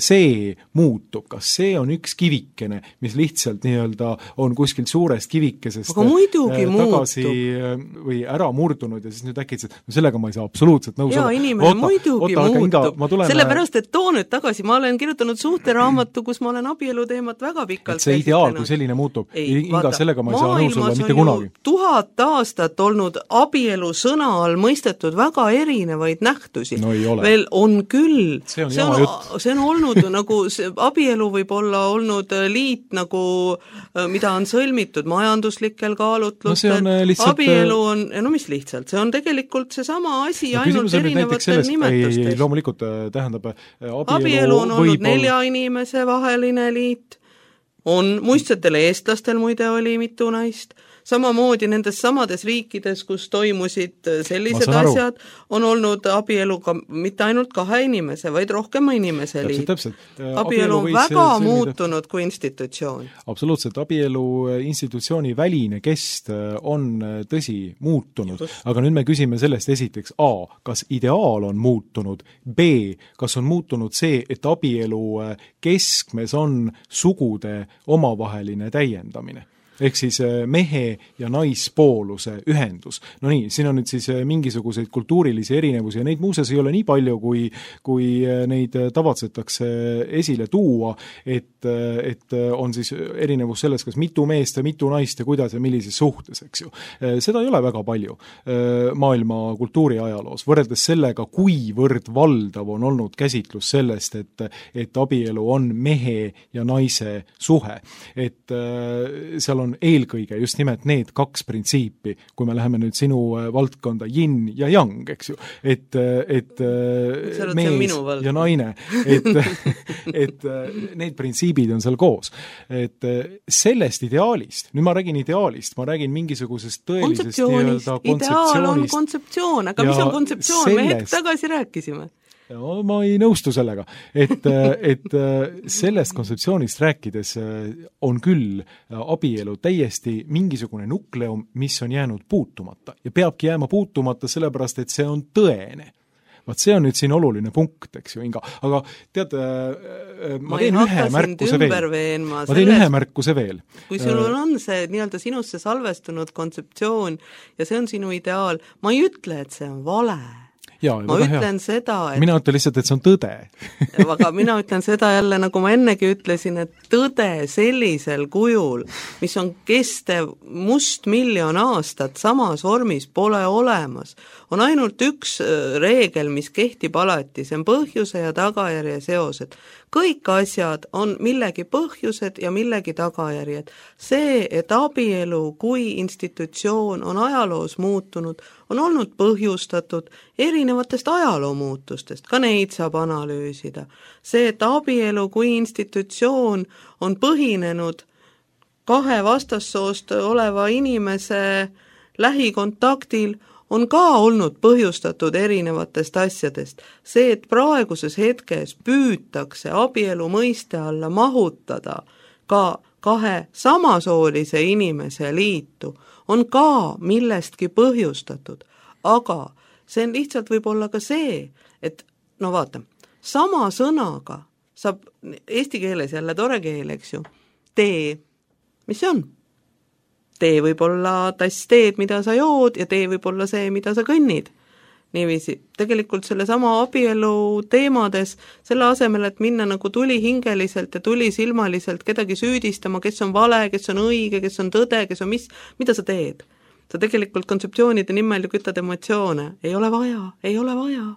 see muutub, kas see on üks kivikene, mis lihtsalt nii-öelda on kuskilt suurest kivikesest tagasi muutub. Või ära murdunud ja siis nüüd äkitselt, no sellega ma ei saa absoluutselt nõus olla. Jaa, inimene oota, muidugi oota, muutub. Tulen... Sellepärast, et too nüüd tagasi, ma olen kirjutanud suhteraamatu, kus ma olen abielu teemat väga pikalt et see ideaal, kui selline muutub, ei, inga vaata, sellega ma ei saa nõus olla mitte kunagi. Tuhat aastat olnud abielu sõna all mõistetud väga erinevaid nähtusi. No ei ole. Veel on küll. See on, see on, see on olnud nagu, see, abielu võib olla olnud liit nagu, mida on sõlmitud majanduslikel kaalutlustel. No lihtsalt... Abielu on, no mis lihtsalt, see on tegelikult seesama asi no, ainult erinevatel nimetustes. Ei, loomulikult tähendab abielu, abielu on olnud võib nelja olla... inimese vaheline liit. On muistsetel eestlastel muide oli mitu naist. Samamoodi nendes samades riikides, kus toimusid sellised asjad, on olnud abielu ka mitte ainult kahe inimese, vaid rohkema inimese liit. Täpselt, täpselt. Abielu on väga sõlmida... muutunud kui institutsioon. Absoluutselt, abielu institutsiooni väline kest on tõsi muutunud, Just. aga nüüd me küsime sellest esiteks A, kas ideaal on muutunud, B, kas on muutunud see, et abielu keskmes on sugude omavaheline täiendamine. Ehk siis mehe ja naispooluse ühendus. No nii, siin on nüüd siis mingisuguseid kultuurilisi erinevusi ja neid muuseas ei ole nii palju, kui, kui neid tavatsetakse esile tuua, et, et on siis erinevus selles, kas mitu meest ja mitu naist ja kuidas ja millises suhtes, eks ju. Seda ei ole väga palju maailma kultuuri ajaloos, võrreldes sellega, kuivõrd valdav on olnud käsitlus sellest, et, et abielu on mehe ja naise suhe. Et seal on on eelkõige just nimelt need kaks printsiipi, kui me läheme nüüd sinu valdkonda yin ja yang, eks ju, et, et mees ja naine, et, et need printsiibid on seal koos. Et sellest ideaalist, nüüd ma räägin ideaalist, ma räägin mingisugusest tõelisest kontseptsioonist, ideaal on kontseptsioon, aga mis on kontseptsioon, sellest... me hetk tagasi rääkisime. No, ma ei nõustu sellega, et, et sellest kontseptsioonist rääkides on küll abielu täiesti mingisugune nukleum, mis on jäänud puutumata ja peabki jääma puutumata sellepärast, et see on tõene. vaat see on nüüd siin oluline punkt, eks ju, Inga. Aga tead, ma, ma teen ühe märkuse veel. Ma teen ühe märkuse veel. Kui sul on see nii-öelda sinusse salvestunud kontseptsioon ja see on sinu ideaal, ma ei ütle, et see on vale. Ja, ma ütlen hea. seda, et mina ütlen lihtsalt, et see on tõde. aga mina ütlen seda jälle, nagu ma ennegi ütlesin, et tõde sellisel kujul, mis on kestev must miljon aastat samas vormis, pole olemas. On ainult üks reegel, mis kehtib alati, see on põhjuse ja tagajärje seosed. Kõik asjad on millegi põhjused ja millegi tagajärjed. See, et abielu kui institutsioon on ajaloos muutunud, on olnud põhjustatud erinevatest ajaloo muutustest, ka neid saab analüüsida. See, et abielu kui institutsioon on põhinenud kahe vastassoost oleva inimese lähikontaktil, on ka olnud põhjustatud erinevatest asjadest. See, et praeguses hetkes püütakse abielu mõiste alla mahutada ka kahe samasoolise inimese liitu, on ka millestki põhjustatud. Aga see on lihtsalt võib-olla ka see, et no vaata, sama sõnaga saab eesti keeles jälle tore keel, eks ju, tee, mis see on? Tee võib olla tass teed, mida sa jood, ja tee võib olla see, mida sa kõnnid. Niiviisi, tegelikult selle sama abielu teemades, selle asemel, et minna nagu tuli hingeliselt ja tuli silmaliselt kedagi süüdistama, kes on vale, kes on õige, kes on tõde, kes on mis, mida sa teed? Sa tegelikult kontseptsioonide nimel ju kütad emotsioone. Ei ole vaja, ei ole vaja.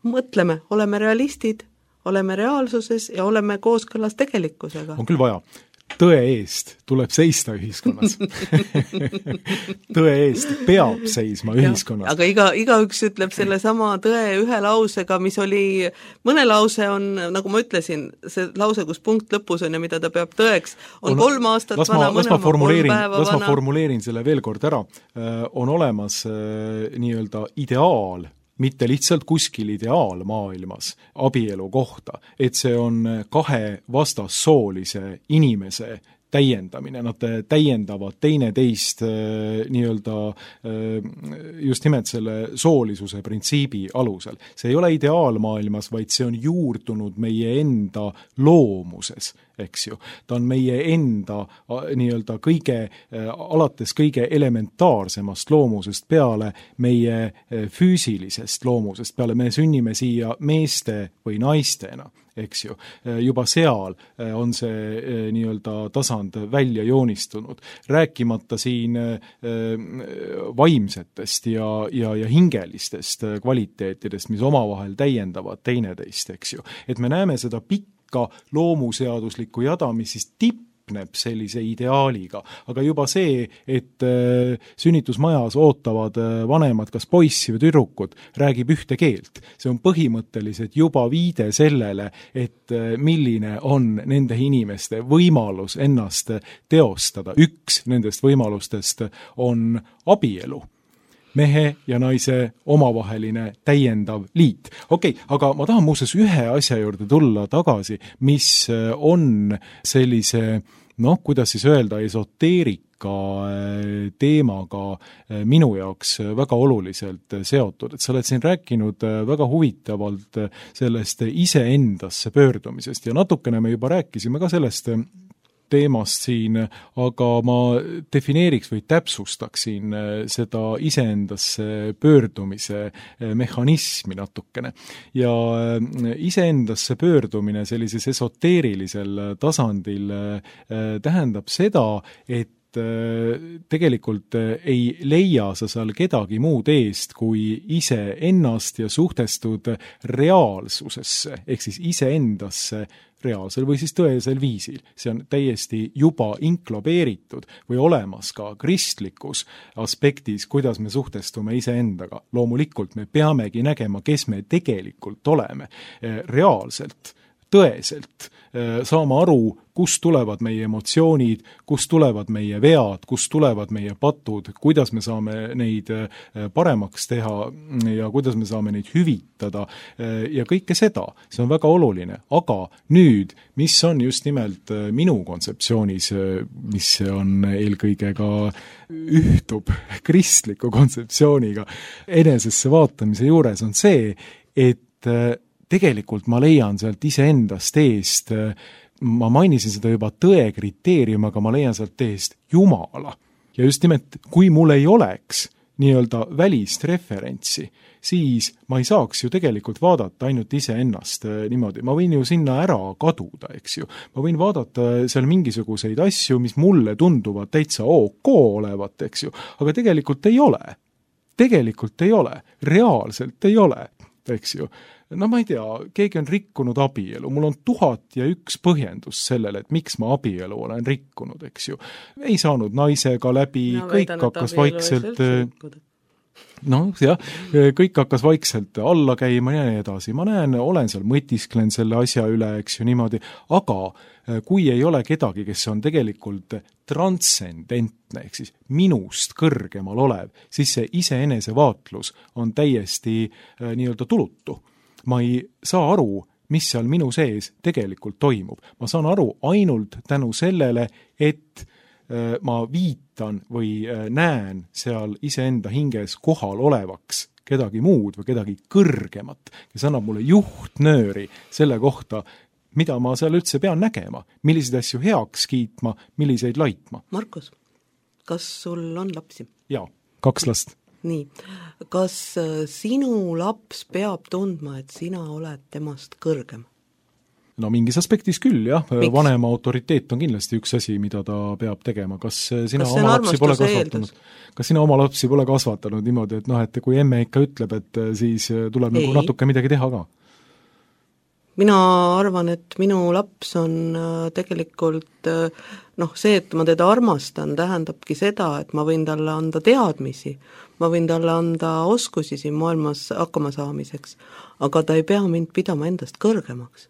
Mõtleme, oleme realistid, oleme reaalsuses ja oleme kooskõlas tegelikkusega. On küll vaja. Tõe eest tuleb seista ühiskonnas. Tõe eest peab seisma ühiskonnas. Ja, aga iga, igaüks ütleb selle sama tõe ühe lausega, mis oli, mõne lause on, nagu ma ütlesin, see lause, kus punkt lõpus on ja mida ta peab tõeks, on, on kolm aastat ma, vana, mõne oma kolm päeva vana. Las ma formuleerin selle veel kord ära. On olemas nii-öelda ideaal, mitte lihtsalt kuskil ideaal maailmas abielu kohta, et see on kahe vastassoolise inimese täiendamine, nad täiendavad teineteist nii-öelda just nimelt selle soolisuse printsiibi alusel. See ei ole ideaalmaailmas, vaid see on juurdunud meie enda loomuses, eks ju. Ta on meie enda nii-öelda kõige, alates kõige elementaarsemast loomusest peale meie füüsilisest loomusest, peale me sünnime siia meeste või naistena, eks ju. Juba seal on see nii-öelda tasand välja joonistunud. Rääkimata siin vaimsetest ja, ja, ja hingelistest kvaliteetidest, mis omavahel täiendavad teineteist, eks ju. Et me näeme seda pikka loomuseaduslikku jada, mis siis tipneb sellise ideaaliga. Aga juba see, et sünnitusmajas ootavad vanemad kas poissi või tüdrukut, räägib ühte keelt. See on põhimõtteliselt juba viide sellele, et milline on nende inimeste võimalus ennast teostada. Üks nendest võimalustest on abielu. Mehe ja naise omavaheline täiendav liit. Okei, okay, aga ma tahan muuseas ühe asja juurde tulla tagasi, mis on sellise, noh, kuidas siis öelda, esoteerika teemaga minu jaoks väga oluliselt seotud. Et sa oled siin rääkinud väga huvitavalt sellest iseendasse pöördumisest ja natukene me juba rääkisime ka sellest teemast siin, aga ma defineeriks või täpsustaksin seda iseendasse pöördumise mehhanismi natukene. Ja iseendasse pöördumine sellises esoteerilisel tasandil tähendab seda, et tegelikult ei leia sa seal kedagi muud eest kui ise ennast ja suhtestud reaalsusesse, ehk siis iseendasse reaalsel või siis tõesel viisil. See on täiesti juba inklobeeritud või olemas ka kristlikus aspektis, kuidas me suhtestume iseendaga. Loomulikult me peamegi nägema, kes me tegelikult oleme reaalselt, tõeselt, saama aru, kust tulevad meie emotsioonid, kust tulevad meie vead, kust tulevad meie patud, kuidas me saame neid paremaks teha ja kuidas me saame neid hüvitada ja kõike seda. See on väga oluline. Aga nüüd, mis on just nimelt minu kontseptsioonis, mis on eelkõige ka ühtub kristliku kontseptsiooniga enesesse vaatamise juures, on see, et tegelikult ma leian sealt iseendast eest, ma mainisin seda juba tõe kriteerium, aga ma leian sealt eest Jumala. Ja just nimelt, kui mul ei oleks nii-öelda välist referentsi, siis ma ei saaks ju tegelikult vaadata ainult iseennast niimoodi. Ma võin ju sinna ära kaduda, eks ju. Ma võin vaadata seal mingisuguseid asju, mis mulle tunduvad täitsa OK olevat, eks ju, aga tegelikult ei ole. Tegelikult ei ole. Reaalselt ei ole, eks ju. No ma ei tea, keegi on rikkunud abielu, mul on tuhat ja üks põhjendus sellele, et miks ma abielu olen rikkunud, eks ju. Ei saanud naisega läbi, no, kõik väidan, hakkas vaikselt, no jah, kõik hakkas vaikselt alla käima ja nii edasi. Ma näen, olen seal mõtisklen selle asja üle, eks ju, niimoodi, aga kui ei ole kedagi, kes on tegelikult transcendentne, ehk siis minust kõrgemal olev, siis see iseenese vaatlus on täiesti nii-öelda tulutu. Ma ei saa aru, mis seal minu sees tegelikult toimub. Ma saan aru ainult tänu sellele, et ma viitan või näen seal iseenda hinges kohal olevaks kedagi muud või kedagi kõrgemat, kes annab mulle juhtnööri selle kohta, mida ma seal üldse pean nägema, milliseid asju heaks kiitma, milliseid laitma. Markus, kas sul on lapsi? Jaa, kaks last. Nii, kas sinu laps peab tundma, et sina oled temast kõrgem? No mingis aspektis küll, jah. Miks? Vanema autoriteet on kindlasti üks asi, mida ta peab tegema. Kas sina kas oma lapsi pole kasvatanud? Kas sina oma lapsi pole kasvatanud niimoodi, et noh, et kui emme ikka ütleb, et siis tuleb Ei. nagu natuke midagi teha ka? Mina arvan, et minu laps on tegelikult, noh, see, et ma teda armastan, tähendabki seda, et ma võin talle anda teadmisi, ma võin talle anda oskusi siin maailmas hakkama saamiseks, aga ta ei pea mind pidama endast kõrgemaks.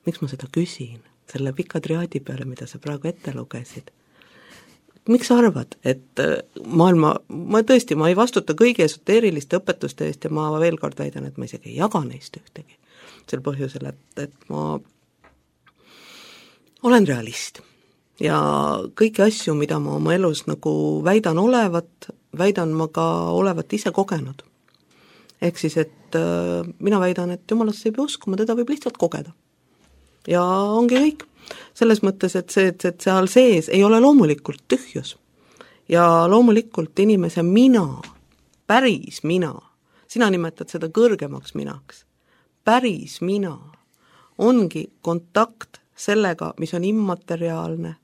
Miks ma seda küsin? Selle pika triaadi peale, mida sa praegu ette lugesid. Miks sa arvad, et maailma, ma tõesti, ma ei vastuta kõigi esoteeriliste õpetuste eest ja ma veel kord väidan, et ma isegi ei jaga neist ühtegi. Sel põhjusel, et, et ma olen realist ja kõiki asju, mida ma oma elus nagu väidan olevat, väidan ma ka olevat ise kogenud. Ehk siis, et äh, mina väidan, et jumalasse ei pea uskuma, teda võib lihtsalt kogeda. Ja ongi kõik. Selles mõttes, et see, et, et seal sees ei ole loomulikult tühjus. Ja loomulikult inimese mina, päris mina, sina nimetad seda kõrgemaks minaks, päris mina ongi kontakt sellega, mis on immateriaalne.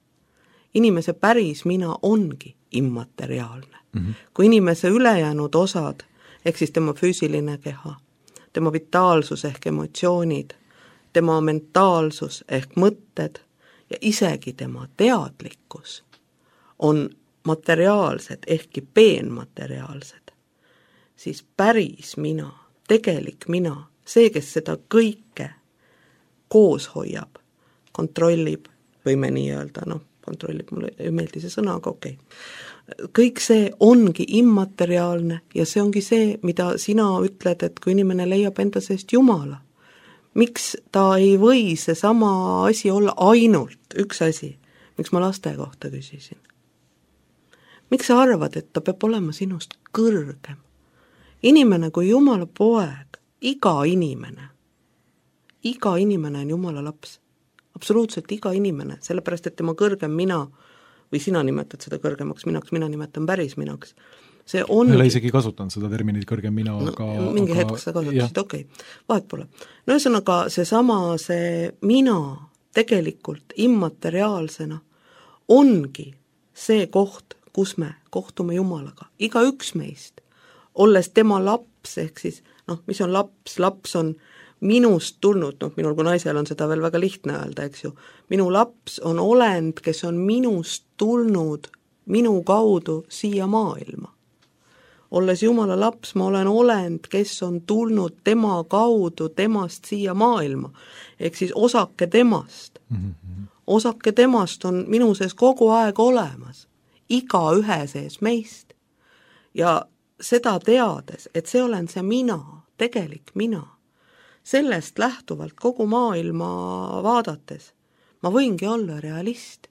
Inimese päris mina ongi immateriaalne. Mm-hmm. Kui inimese ülejäänud osad, ehk siis tema füüsiline keha, tema vitaalsus ehk emotsioonid, tema mentaalsus ehk mõtted ja isegi tema teadlikkus on materiaalsed ehkki peenmateriaalsed, siis päris mina, tegelik mina, see, kes seda kõike koos hoiab, kontrollib, võime nii öelda, noh, kontrollib, mulle ei meeldi see sõna, aga okei. Okay. Kõik see ongi immateriaalne ja see ongi see, mida sina ütled, et kui inimene leiab enda seest Jumala, miks ta ei või see sama asi olla ainult üks asi, miks ma laste kohta küsisin. Miks sa arvad, et ta peab olema sinust kõrgem? Inimene kui Jumala poeg, iga inimene, iga inimene on Jumala laps, absoluutselt iga inimene, sellepärast, et tema kõrgem mina, või sina nimetad seda kõrgemaks minaks, mina nimetan päris minaks, see on... Ma ei ole isegi kasutanud seda terminit kõrgem mina, no, aga... Mingi aga, hetk sa kasutasid, okei, okay. Vahet pole. No ühesõnaga, see sama, see mina tegelikult immateriaalsena ongi see koht, kus me kohtume Jumalaga, iga üks meist, olles tema laps, ehk siis, noh, mis on laps, laps on minust tulnud, noh, minul kui naisel on seda veel väga lihtne öelda, eks ju, minu laps on olend, kes on minust tulnud minu kaudu siia maailma. Olles Jumala laps, ma olen olend, kes on tulnud tema kaudu temast siia maailma, ehk siis osake temast. Mm-hmm. Osake temast on minu sees kogu aeg olemas, iga ühe sees meist. Ja seda teades, et see olen see mina, tegelik mina, sellest lähtuvalt kogu maailma vaadates, ma võingi olla realist.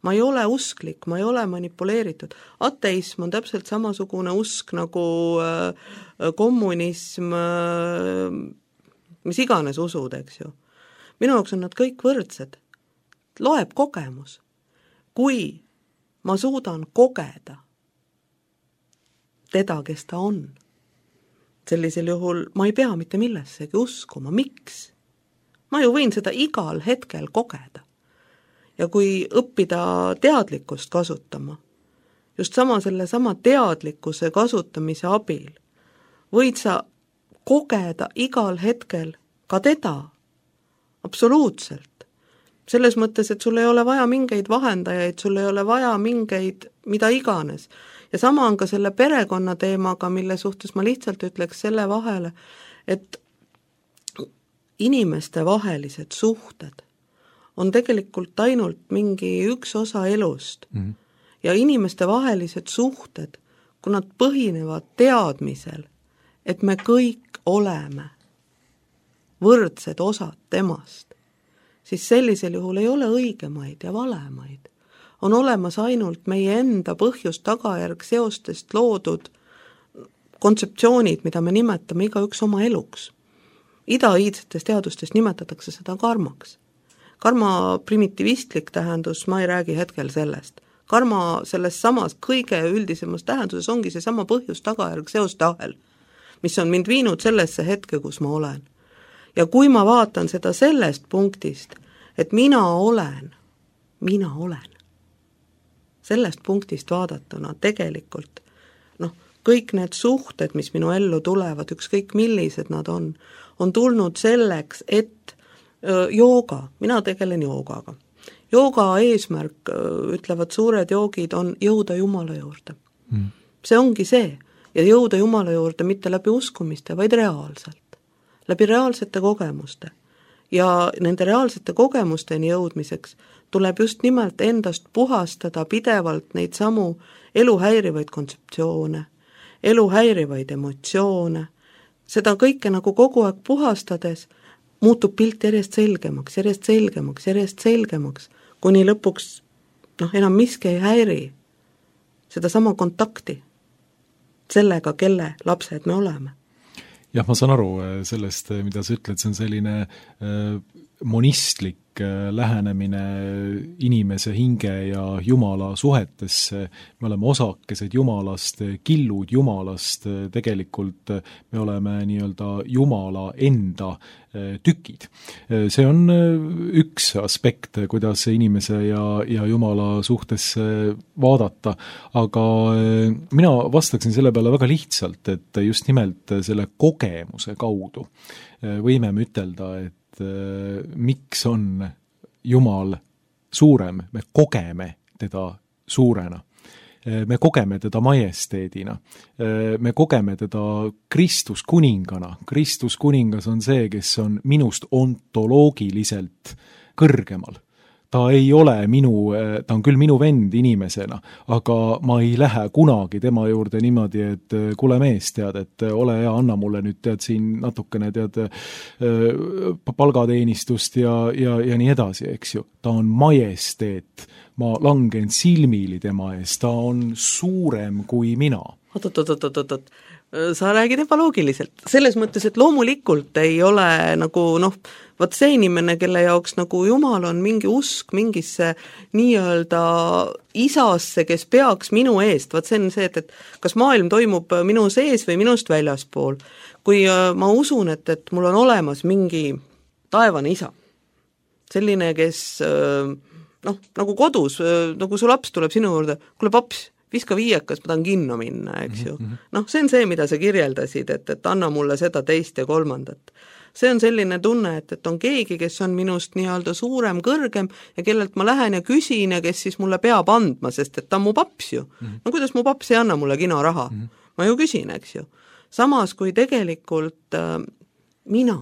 Ma ei ole usklik, ma ei ole manipuleeritud. Ateism on täpselt samasugune usk nagu äh, kommunism, äh, mis iganes usud, eks ju. Minu jaoks on nad kõik võrdsed. Loeb kogemus. Kui ma suudan kogeda teda, kes ta on, sellisel juhul ma ei pea mitte millessegi uskuma. Miks? Ma ju võin seda igal hetkel kogeda. Ja kui õppida teadlikkust kasutama, just sama selle sama teadlikkuse kasutamise abil, võid sa kogeda igal hetkel ka teda, absoluutselt. Selles mõttes, et sul ei ole vaja mingeid vahendajaid, sul ei ole vaja mingeid mida iganes. Ja sama on ka selle perekonna teemaga, mille suhtes ma lihtsalt ütleks selle vahele, et inimeste vahelised suhted on tegelikult ainult mingi üks osa elust. Mm-hmm. Ja inimeste vahelised suhted, kui nad põhinevad teadmisel, et me kõik oleme võrdsed osad temast, siis sellisel juhul ei ole õigemaid ja valemaid. On olemas ainult meie enda põhjus tagajärg seostest loodud kontseptsioonid, mida me nimetame igaüks oma eluks. Ida-iidsetes teadustes nimetatakse seda karmaks. Karma primitivistlik tähendus, ma ei räägi hetkel sellest. Karma selles samas kõige üldisemas tähenduses ongi see sama põhjus tagajärg seoste ahel, mis on mind viinud sellesse hetke, kus ma olen. Ja kui ma vaatan seda sellest punktist, et mina olen, mina olen, sellest punktist vaadatuna tegelikult, noh, kõik need suhted, mis minu ellu tulevad, ükskõik millised nad on, on tulnud selleks, et öö, jooga, mina tegelen joogaga. Jooga eesmärk, ütlevad suured joogid, on jõuda Jumala juurde. Mm. See ongi see. Ja jõuda Jumala juurde mitte läbi uskumiste, vaid reaalselt. Läbi reaalsete kogemuste. Ja nende reaalsete kogemusteni jõudmiseks tuleb just nimelt endast puhastada pidevalt neid samu eluhäirivaid kontseptsioone, eluhäirivaid emotsioone. Seda kõike nagu kogu aeg puhastades muutub pilt järjest selgemaks, järjest selgemaks, järjest selgemaks, kuni lõpuks noh, enam miski ei häiri seda sama kontakti sellega, kelle lapsed me oleme. Jah, ma saan aru sellest, mida sa ütled, see on selline äh, monistlik äh, lähenemine inimese hinge ja Jumala suhetesse. Me oleme osakesed Jumalast, killud Jumalast, tegelikult me oleme nii-öelda Jumala enda äh, tükid. See on üks aspekt, kuidas inimese ja, ja Jumala suhtes vaadata, aga äh, mina vastaksin selle peale väga lihtsalt, et just nimelt selle kogemuse kaudu äh, võime me ütelda, et miks on Jumal suurem, me kogeme teda suurena, me kogeme teda majesteedina, me kogeme teda Kristus kuningana. Kristus kuningas on see, kes on minust ontoloogiliselt kõrgemal. Ta ei ole minu, ta on küll minu vend inimesena, aga ma ei lähe kunagi tema juurde niimoodi, et kuule mees, tead, et ole hea, anna mulle nüüd tead siin natukene tead palgateenistust ja, ja, ja nii edasi, eks ju. Ta on majesteet, ma langen silmili tema ees, ta on suurem kui mina. Oot, oot, oot, oot, oot, sa räägid ebaloogiliselt. Selles mõttes, et loomulikult ei ole nagu noh, vaat see inimene, kelle jaoks nagu Jumal on mingi usk mingisse nii-öelda isasse, kes peaks minu eest, vaat see on see, et, et kas maailm toimub minu sees või minust väljaspool. Kui ma usun, et, et mul on olemas mingi taevane isa, selline, kes noh, nagu kodus, nagu su laps tuleb sinu juurde, kuule paps, viska viiekas, ma tahan kinno minna, eks ju. Mm-hmm. Noh, see on see, mida sa kirjeldasid, et, et anna mulle seda teist ja kolmandat. See on selline tunne, et, et on keegi, kes on minust nii-öelda suurem, kõrgem ja kellelt ma lähen ja küsin ja kes siis mulle peab andma, sest et ta on mu paps ju. Mm-hmm. No kuidas mu paps ei anna mulle kino raha? Mm-hmm. Ma ju küsin, eks ju. Samas, kui tegelikult äh, mina,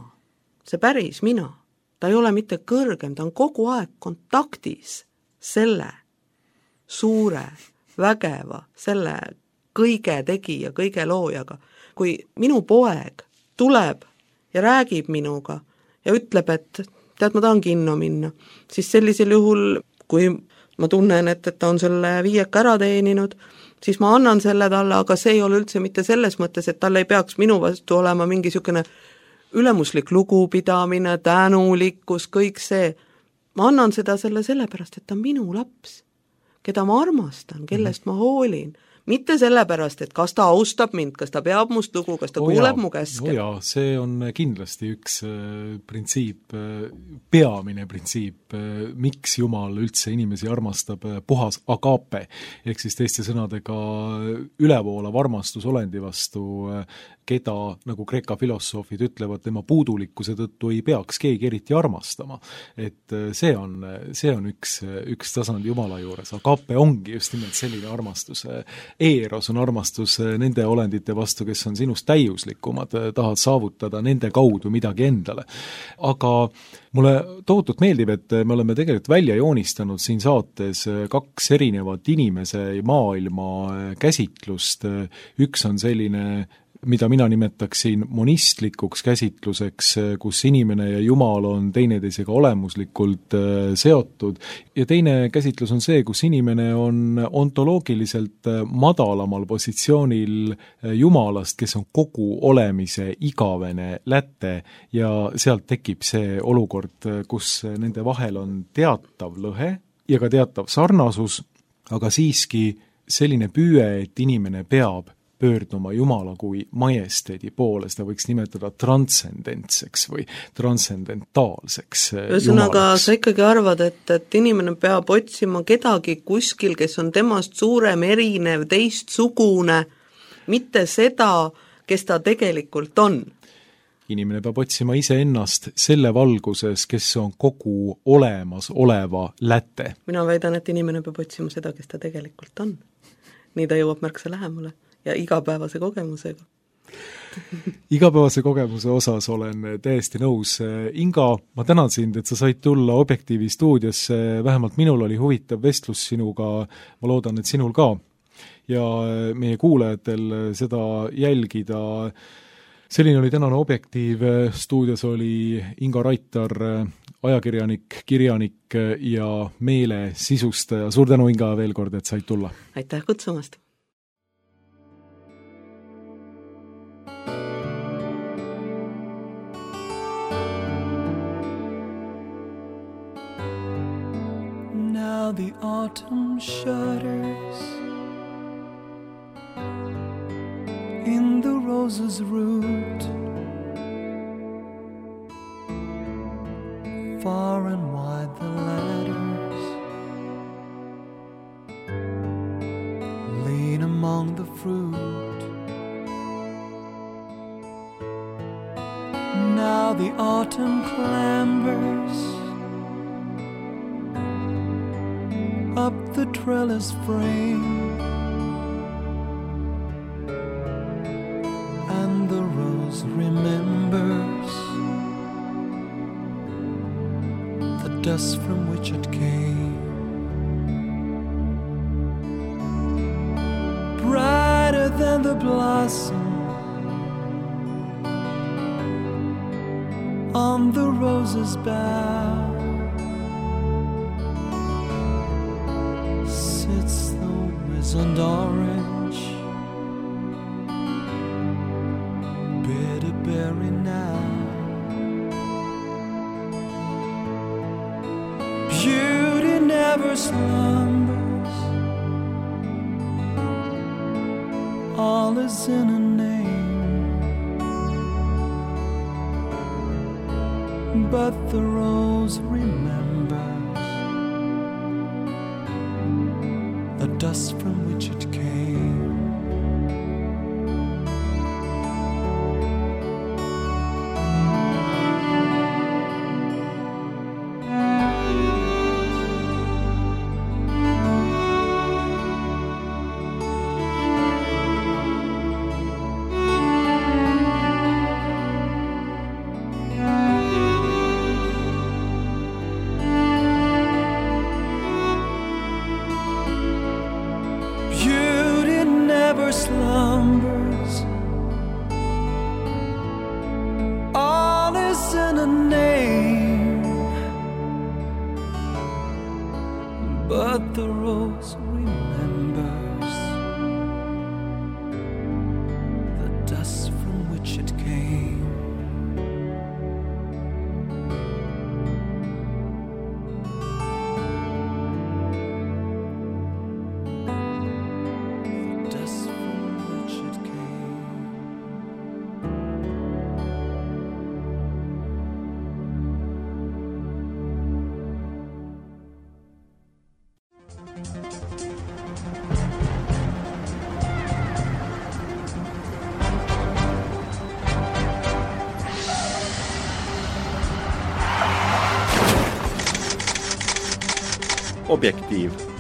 see päris mina, ta ei ole mitte kõrgem, ta on kogu aeg kontaktis selle suure vägeva, selle kõige tegija, kõige loojaga. Kui minu poeg tuleb ja räägib minuga ja ütleb, et tead, ma tahan kinno minna, siis sellisel juhul, kui ma tunnen, et, et ta on selle viieka ära teeninud, siis ma annan selle talle, aga see ei ole üldse mitte selles mõttes, et tal ei peaks minu vastu olema mingi sükene ülemuslik lugupidamine, tänulikkus, kõik see, ma annan seda selle sellepärast, et ta on minu laps, keda ma armastan, kellest mm-hmm. ma hoolin. Mitte sellepärast, et kas ta austab mind, kas ta peab must lugu, kas ta oh kuuleb jaa, mu käske. Oh jaa, see on kindlasti üks äh, printsiip, äh, peamine printsiip, äh, miks Jumal üldse inimesi armastab, äh, puhas agape, ehk siis teiste sõnadega ülevoolav armastus olendi vastu, äh, keda, nagu Kreeka filosoofid ütlevad, tema puudulikkuse tõttu ei peaks keegi eriti armastama. Et see on, see on üks, üks tasand Jumala juures. Agape ongi just nimelt selline armastus. Eros on armastus nende olendite vastu, kes on sinust täiuslikumad, tahad saavutada nende kaudu midagi endale. Aga mulle tohutult meeldib, et me oleme tegelikult välja joonistanud siin saates kaks erinevat inimese maailma käsitlust. Üks on selline, mida mina nimetaksin monistlikuks käsitluseks, kus inimene ja Jumal on teineteisega olemuslikult seotud, ja teine käsitlus on see, kus inimene on ontoloogiliselt madalamal positsioonil Jumalast, kes on kogu olemise igavene läte, ja sealt tekib see olukord, kus nende vahel on teatav lõhe ja ka teatav sarnasus, aga siiski selline püüe, et inimene peab pöörduma Jumala kui majesteedi poole, seda võiks nimetada transcendentseks või transcendentaalseks Ühesõnaga, sa ikkagi arvad, et, et inimene peab otsima kedagi kuskil, kes on temast suurem, erinev, teistsugune, mitte seda, kes ta tegelikult on. Inimene peab otsima iseennast selle valguses, kes on kogu olemas oleva läte. Mina väidan, et inimene peab otsima seda, kes ta tegelikult on. Nii ta jõuab märksa lähemale. Ja igapäevase kogemusega. Igapäevase kogemuse osas olen täiesti nõus. Inga, ma tänan sind, et sa said tulla Objektiivi stuudiosse, vähemalt minul oli huvitav vestlus sinuga, ma loodan, et sinul ka. Ja meie kuulajatel seda jälgida. Selline oli tänane Objektiiv, stuudios oli Inga Raitar, ajakirjanik, kirjanik ja meele sisustaja. Suur tänu, Inga, veel kord, et said tulla. Aitäh kutsumast. Now the autumn shudders in the rose's root, far and wide the ladders lean among the fruit. Now the autumn clambers up the trellis frame, and the rose remembers the dust from which it came. Brighter than the blossom on the rose's bough sits the wizened orange, bitter berry now. Beauty never slumbers, all is in a name, but the rose remembers the dust from which it came. Slumbers, all is in a name, but the rose remembers the dust from which it came. Objektiiv